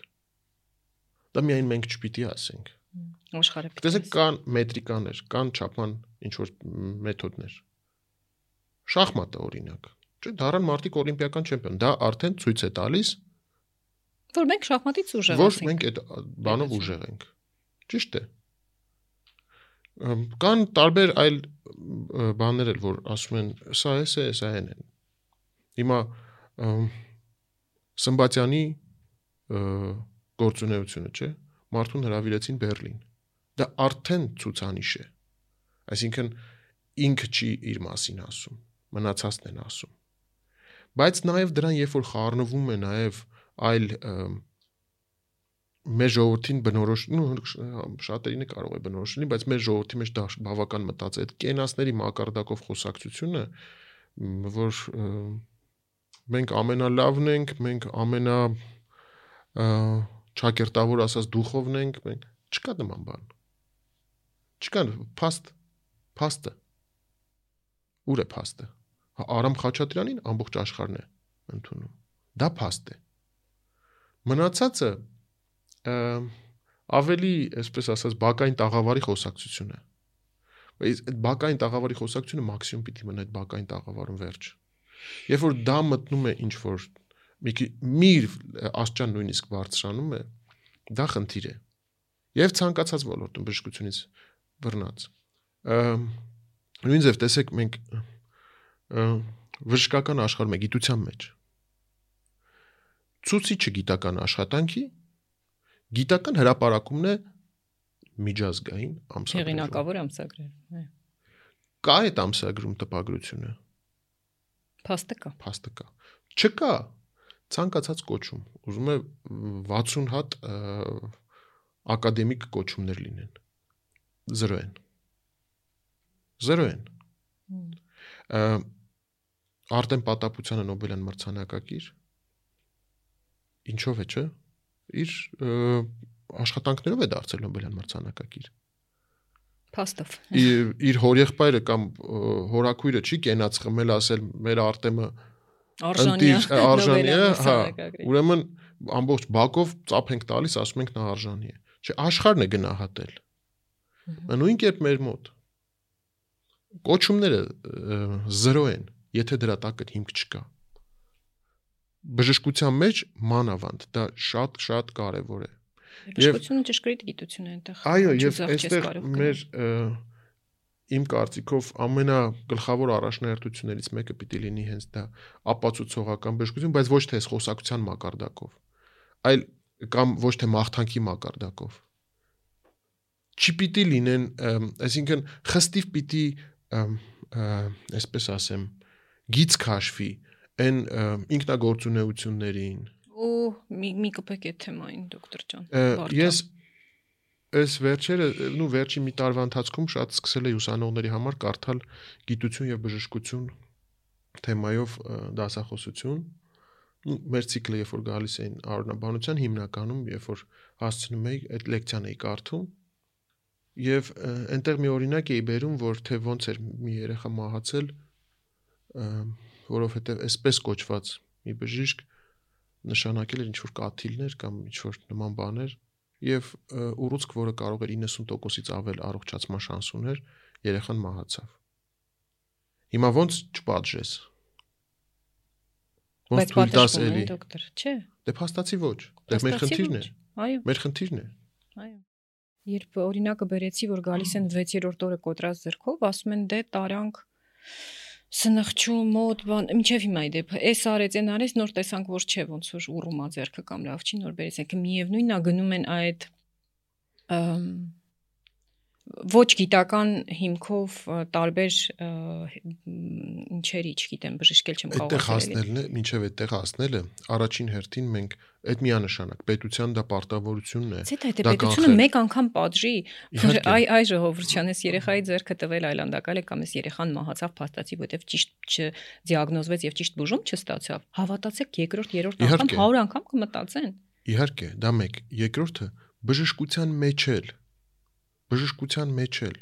Դա միայն մենք չպիտի ասենք։ Աշխարհը պիտի։ Տեսեք, կան մետրիկաներ, կան չափման ինչ-որ մեթոդներ։ Շախմատը օրինակ, չէ՞, դառան մարդիկ օլիմպիական չեմպիոն, դա արդեն ցույց է տալիս, որ մենք շախմատից ուժեղ ենք։ Որ մենք այդ բանով ուժեղ ենք։ Ճիշտ է։ Կան տարբեր այլ բաներ էլ, որ ասում են, սա է, սա են։ Հիմա Սմբատյանի գործունեությունը, չէ՞, մարդուն հրավիրեցին Բերլին։ Դա արդեն ցուցանիշ է։ Այսինքն ինքը չի իր մասին ասում, մնացածն են ասում։ Բայց նաև դրան երբ որ խառնվում է նաև այլ մեր ժողովրդին բնորոշ, շատերին է կարող է բնորոշ լինի, բայց մեր ժողովրդի մեջ դա բավական մտած է այդ կենացների մակարդակով խոսակցությունը, որ մենք ամենալավն ենք, մենք ամենա ճակերտավոր ասած դուխովն ենք, մենք չկա նման բան։ Չկա փաստը։ Ուր է փաստը։ Արամ Խաչատրյանին ամբողջ աշխարհն է ընդունում։ Դա փաստ է։ Մնացածը ավելի, այսպես ասած, բակային տաղավարի խոսակցություն է։ Բայց այդ բակային տաղավարի խոսակցությունը մաքսիմում պիտի մնա այդ բակային տաղավարում վերջ։ Երբ որ դա մտնում է ինչ-որ մի աստիճան նույնիսկ բարձրանում է, դա խնդիր է։ Եվ ցանկացած ոլորտում բժշկությունից բռնած։ Նույն ձև տեսեք մենք բժշկական աշխարհում է գիտության մեջ։ Ցուցիչը գիտական աշխատանքի գիտական հրապարակումն է միջազգային ամսագրերում։ Հեղինակավոր ամսագրեր։ Կա այդ ամսագրում տպագրությունը։ Փաստը կա։ Փաստը կա։ Չկա ցանկացած կոչում։ Ուզում է 60 հատ ակադեմիկ կոչումներ լինեն։ 0 են։ 0 են։ Արտեմ Պատապությանը Նոբելյան մրցանակակիր։ Ինչով է, չէ՞։ Իր աշխատանքներով է դարձել Նոբելյան մրցանակակիր։ Փաստով։ Իր հորեղբայրը կամ հորաքույրը չի կենաց խմել ասել մեր Արտեմը արժանի է, հա, ուրեմն ամբողջ բակով ծափ ենք տալիս, ասում ենք նա արժանի է։ Չէ, աշխարհն է գնահատել։ Նույն կերպ մեր մոտ կոչումները 0 են, եթե դրա տակը հիմք չկա։ Բժշկության մեջ մանավանդ դա շատ կարևոր է։ Բժշկությունը ճշգրիտ գիտություն է այնտեղ։ Այո, եւ այստեղ մեր իմ կարծիքով ամենագլխավոր առաջնահերթություններից մեկը պիտի լինի հենց դա ապացուցողական բժշկություն, բայց ոչ թե խոսակցության մակարդակով, այլ կամ ոչ թե մաղթանքի մակարդակով։ Չպիտի լինեն, այսինքն խստիվ պիտի այսպես ասեմ, գիծ քաշվի այն ինքնագործունեություններին, Ու մի կպեք այդ թեմային դոկտոր ջան։ Ես այս վերջի մի տարվա ընթացքում շատ սկսել էի ուսանողների համար կարդալ գիտություն եւ բժշկություն թեմայով դասախոսություն։ Մեր ցիկլը երբ որ գալիս էին առողջաբանության հիմնականում, երբ որ հասցնում էի այդ լեկցիան էի կարդում եւ այնտեղ մի օրինակ էի բերում, որ թե ոնց էր մի երեխա մահացել, որովհետեւ այսպես կոչված մի բժիշկ նշանակել էր ինչ-որ կաթիլներ կամ ինչ-որ նման բաներ եւ ուռուցք, որը կարող էր 90%-ից ավել առողջացման շանս ուներ, երեխան մահացավ։ Հիմա ոնց չպատժես։ Ոնց թույլ տաս էլի։ Դոկտոր, չէ։ Դե փաստացի ոչ։ Դե մեր խնդիրն է։ Այո։ Մեր խնդիրն է։ Այո։ Երբ օրինակը բերեցի, որ գալիս են 6-րդ օրը կոտրած ձեռքով, ասում են դե տարանք սնխչու մոտ բան, մինչև հիմա ի դեպ, էս արեց, այն արեց, նոր տեսանք, որ չէ, ոնց որ ուռումա ձեռքը կամ լավ չի, նոր բերեց, եկը միևնույնն է գնում են այդ ոչ գիտական հիմքով տարբեր ինչերի, չգիտեմ, բժշկել չեմ կարող ասել։ Այդտեղ հասնելն է, մինչև այդտեղ հասնելը, առաջին հերթին մենք այդ միանշանակ պետության դա պարտավորությունն է։ Դա պետությունը մեկ անգամ պատժի, որ այ ժողովրդյան էս երեխայի ձեռքը տվել այլանդակալ է կամ էս երեխան մահացավ փաստացի, որովհետև ճիշտ չդիագնոզվեց եւ ճիշտ բուժում չստացավ։ Հավատացեք, երկրորդ, երրորդ անգամ 100 անգամ կմտածեն։ Իհարկե, դա մեկ, երկրորդը բժշկության մեջ էլ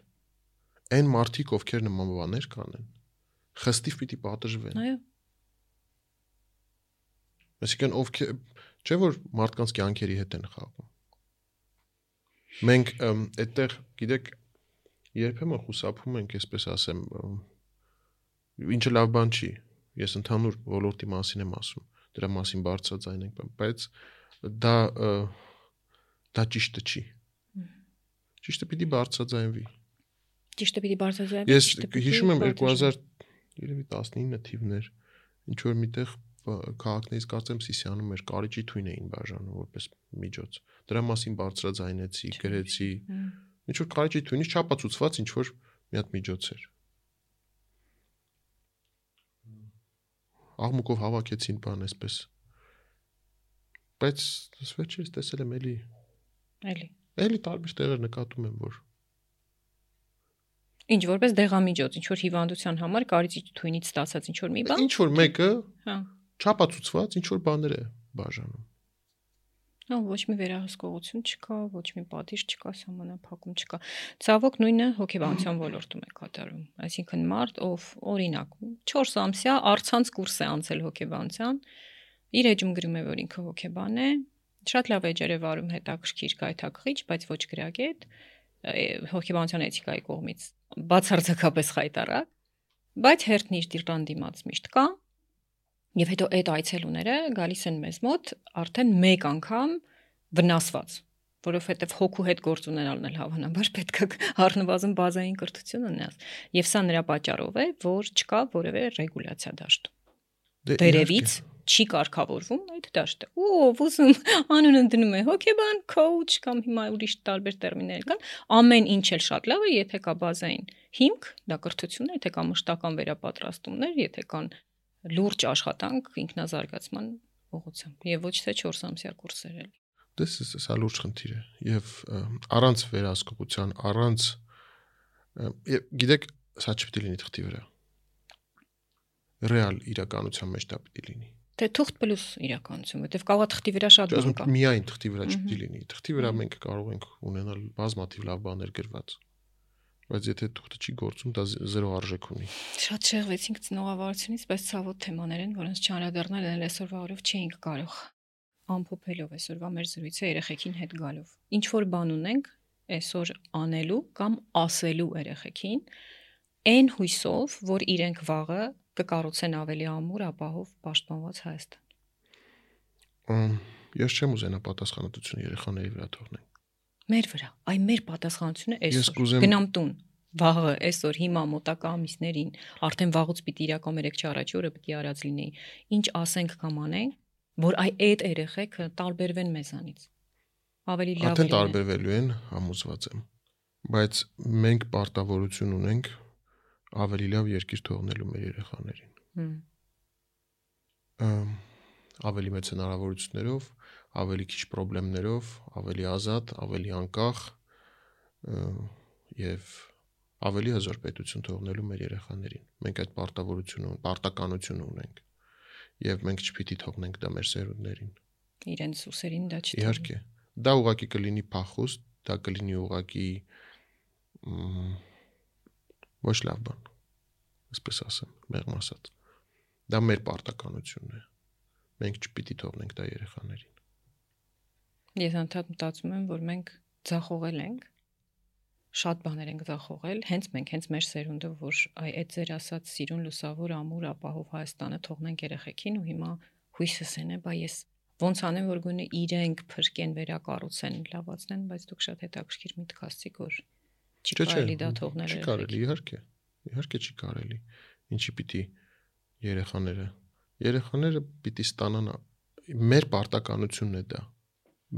այն մարդիկ, ովքեր նման բաներ կանեն, խստիվ պիտի պատժվեն։ Այո։ Այսինքն ովքեր չէ որ մարդկանց կյանքերի հետ են խաղում։ Մենք այդտեղ, գիտեք, երբեմն խուսափում ենք, այսպես ասեմ, ինչը լավ բան չի։ Ես ընդհանուր ոլորտի մասին եմ ասում, դրա մասին բարձրաձայն ենք, բայց դա ճիշտը չի։ Ճիշտը պիտի բարձրաձայնվի։ Ճիշտը պիտի բարձրաձայնվի։ Ես հիշում եմ 2019 թիվներ, ինչ որ միտեղ քաղաքներից կարծեմ Սիսիանում էր կարիճի թույն էին բաժանում որպես միջոց։ Դրա մասին բարձրաձայնեցի, գրեցի։ Ինչ որ կարիճի թույնից չապացուցված ինչ որ մի հատ միջոց էր։ Աղմուկով հավաքեցին բան այսպես։ Բայց վերջերս տեսել եմ էլի տարբեր տեղեր նկատում եմ, որ ինչ որպես դեղամիջոց, ինչ որ հիվանդության համար կարիճի թույնից ստացած ինչ որ մի բան։ Ինչ որ մեկը չապացուցված ինչ որ բաներ է բաժանում։ Ոչ մի վերահսկողություն չկա, ոչ մի պատիժ չկա, սահմանափակում չկա։ Ցավոք նույնը հոգեբանության ոլորտում է կատարում։ Այսինքն մարդ, ով օրինակ 4 ամսյա առցանց կուրս է անցել հոգեբանության, իր էջում գրում է, որ ինքը հոգեբան է, շատ լավ էջեր է վարում հետաքրքիր գայթակղիչ, բայց ոչ գրագետ, հոգեբանության էթիկայի կողմից բացարձակապես խայտառակ, բայց հերթն իր դիրան դիմաց միշտ կա։ Եվ հետո այդ այցելուները գալիս են մեզ մոտ արդեն մեկ անգամ վնասված, որովհետև հոգու հետ գործ ունենալն էլ հավանաբար պետք է առնվազն բազային կրթություն ունենաս։ Եվ սա նրա պատճառով է, որ չկա որևէ ռեգուլյացիա դաշտում։ Վերևից չի կարգավորվում այդ դաշտը։ Ով ուզում անունը դնում է հոգեբան, coach կամ հիմա ուրիշ տարբեր տերմիններ կան, ամեն ինչ էլ շատ լավ է, եթե կա բազային հիմք, դա կրթություն է, եթե կա մշտական վերապատրաստումներ, եթե կան լուրջ աշխատանք ինքնազարգացման ուղղությամբ եւ ոչ թե 4 ամսյա կուրսեր էլ։ Դա լուրջ խնդիր է եւ առանց վերահսկողության, առանց գիտեք, սա չպիտի լինի թղթի վրա։ Ռեալ իրականության մեջ դա պիտի լինի։ Թե թուղթ պլյուս իրականություն, որտեվ կարող է թղթի վրա շատ բան կա։ Միայն թղթի վրա չպիտի լինի։ Թղթի վրա մենք կարող ենք ունենալ բազմաթիվ լավ բաներ գրված։ Բայց եթե թուղթը չի գործում, դա զերո արժեք ունի։ Շատ շեղվեցինք ծնողավարությունից, բայց ցավոտ թեմաներ են, որոնց չանդրադառնալ են այսօրվա օրով չէինք կարող ամփոփելով այսօրվա մեր զրույցը երեխեքին հետ գալով։ Ինչ որ բան ունենք այսօր անելու կամ ասելու երեխեքին, այն հույսով, որ իրենք վաղը կկառուցեն ավելի ամուր, ապահով, պաշտպանված Հայաստան։ Ես չեմ ուզենա պատասխանատվությունը երեխաների վրա թողնել։ Մեր վրա, այ մեր պատասխանությունը այսօր։ Գնամ տուն, վաղը, այսօր, հիմա մոտակա ամիսներին, արդեն վաղուց պիտի իրական 3-4 առաջի օրը պիտի արած լինեի։ Ինչ ասենք կամ անենք, որ այ այդ երեխեքը տարբերվեն մեզանից։ Ավելի լավ լինեն։ Արդեն տարբերվելու են, համոզված եմ։ Բայց մենք պարտավորություն ունենք ավելի լավ երկիր թողնելու մեր երեխաներին։ ավելի մեծ հնարավորություններով, ավելի քիչ խնդիրներով, ավելի ազատ, ավելի անկախ եւ ավելի հզոր պետություն թողնելու մեր երեխաներին։ Մենք այդ պարտականությունը ունենք եւ մենք չպիտի թողնենք դա մեր սերունդներին։ Իրենց ուսերին դա չթողնենք։ Իհարկե, դա ուղղակի կլինի փախուստ, դա կլինի ուղղակի ոչ լավ բան, այսպես ասեմ, մեղմ ասած։ Դա մեր պարտականությունն է։ Մենք չպիտի թողնենք դա երեխաներին։ Ես անդադ մտածում եմ, որ մենք ձախողել ենք, շատ բաներ ենք ձախողել, հենց մեր սերունդը, որ այդ ձեր ասած սիրուն, լուսավոր, ամուր, ապահով Հայաստանը թողնենք երեխեքին ու հիմա հույսս են է, բա ես ոնց անեմ, որ գոնե իրենք փրկեն, վերակառուցեն, լավացնեն, բայց դուք շատ հետաքրքիր միտք ասացիք, որ չի կարելի դա թողնել երեխեքին։ Չի կարելի, իհարկե չի կարելի։ Ինչի պիտի երեխաները պիտի ստանան, մեր պարտականությունն է դա։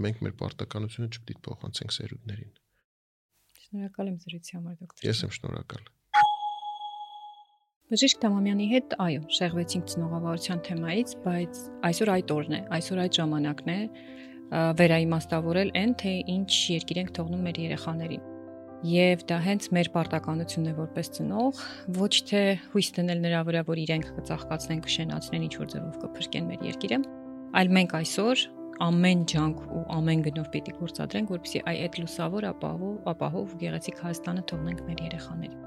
Մենք մեր պարտականությունը չպիտի փոխանցենք սերունդներին։ Շնորհակալ եմ զրույցի համար, դոկտոր։ Ես եմ շնորհակալ։ Բժիշկ Թամամյանի հետ, այո, շեղվեցինք ծնողավարության թեմայից, բայց այսօր այդ օրն է, այսօր այդ ժամանակն է վերաիմաստավորել այն, թե ինչ երկիր ենք թողնում մեր երեխաներին։ Եվ դա հենց մեր պարտականությունն է որպես ծնող, ոչ թե հույս դնել նրա վրա, որ իրենք կծաղկացնեն, կշենացնեն, ինչ որ ձևով կփրկեն մեր երկիրը, այլ մենք այսօր ամեն ջանք ու ամեն գնով պիտի գործադրենք, որպեսզի այդ լուսավոր, ապահով ու գեղեցիկ Հայաստանը թողնենք մեր երեխաներին։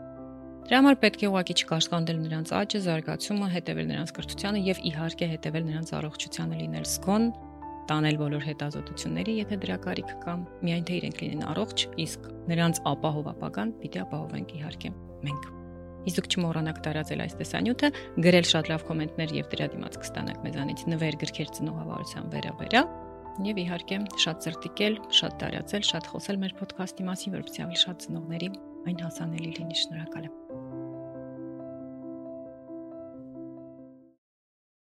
Դրա համար պետք է ուղղակի չկաշկանդել նրանց աճը, զարգացումը, հետևել նրանց կրթությանը եւ իհարկե հետևել նրանց առողջությանը, լինել զգոն, տանել բոլոր հետազոտությունների, եթե դրա կարիք կա, միայն թե իրենք լինեն առողջ, իսկ նրանց ապահով ապագան պիտի ապահովենք իհարկե մենք։ Իսկ դուք չմոռանաք տարածել այս տեսանյութը, գրել շատ լավ կոմենտներ եւ դրա դիմաց կստանաք մեզանից նվեր գրքեր ծնողավարության վերաբերյալ եւ իհարկե շատ ծրտիկել, շատ տարածել, շատ խոսել մեր ոդքասթի մասին, որպեսզի ավելի շատ ծնողների այն հասանելի լինի։ Շնորհակալ եմ։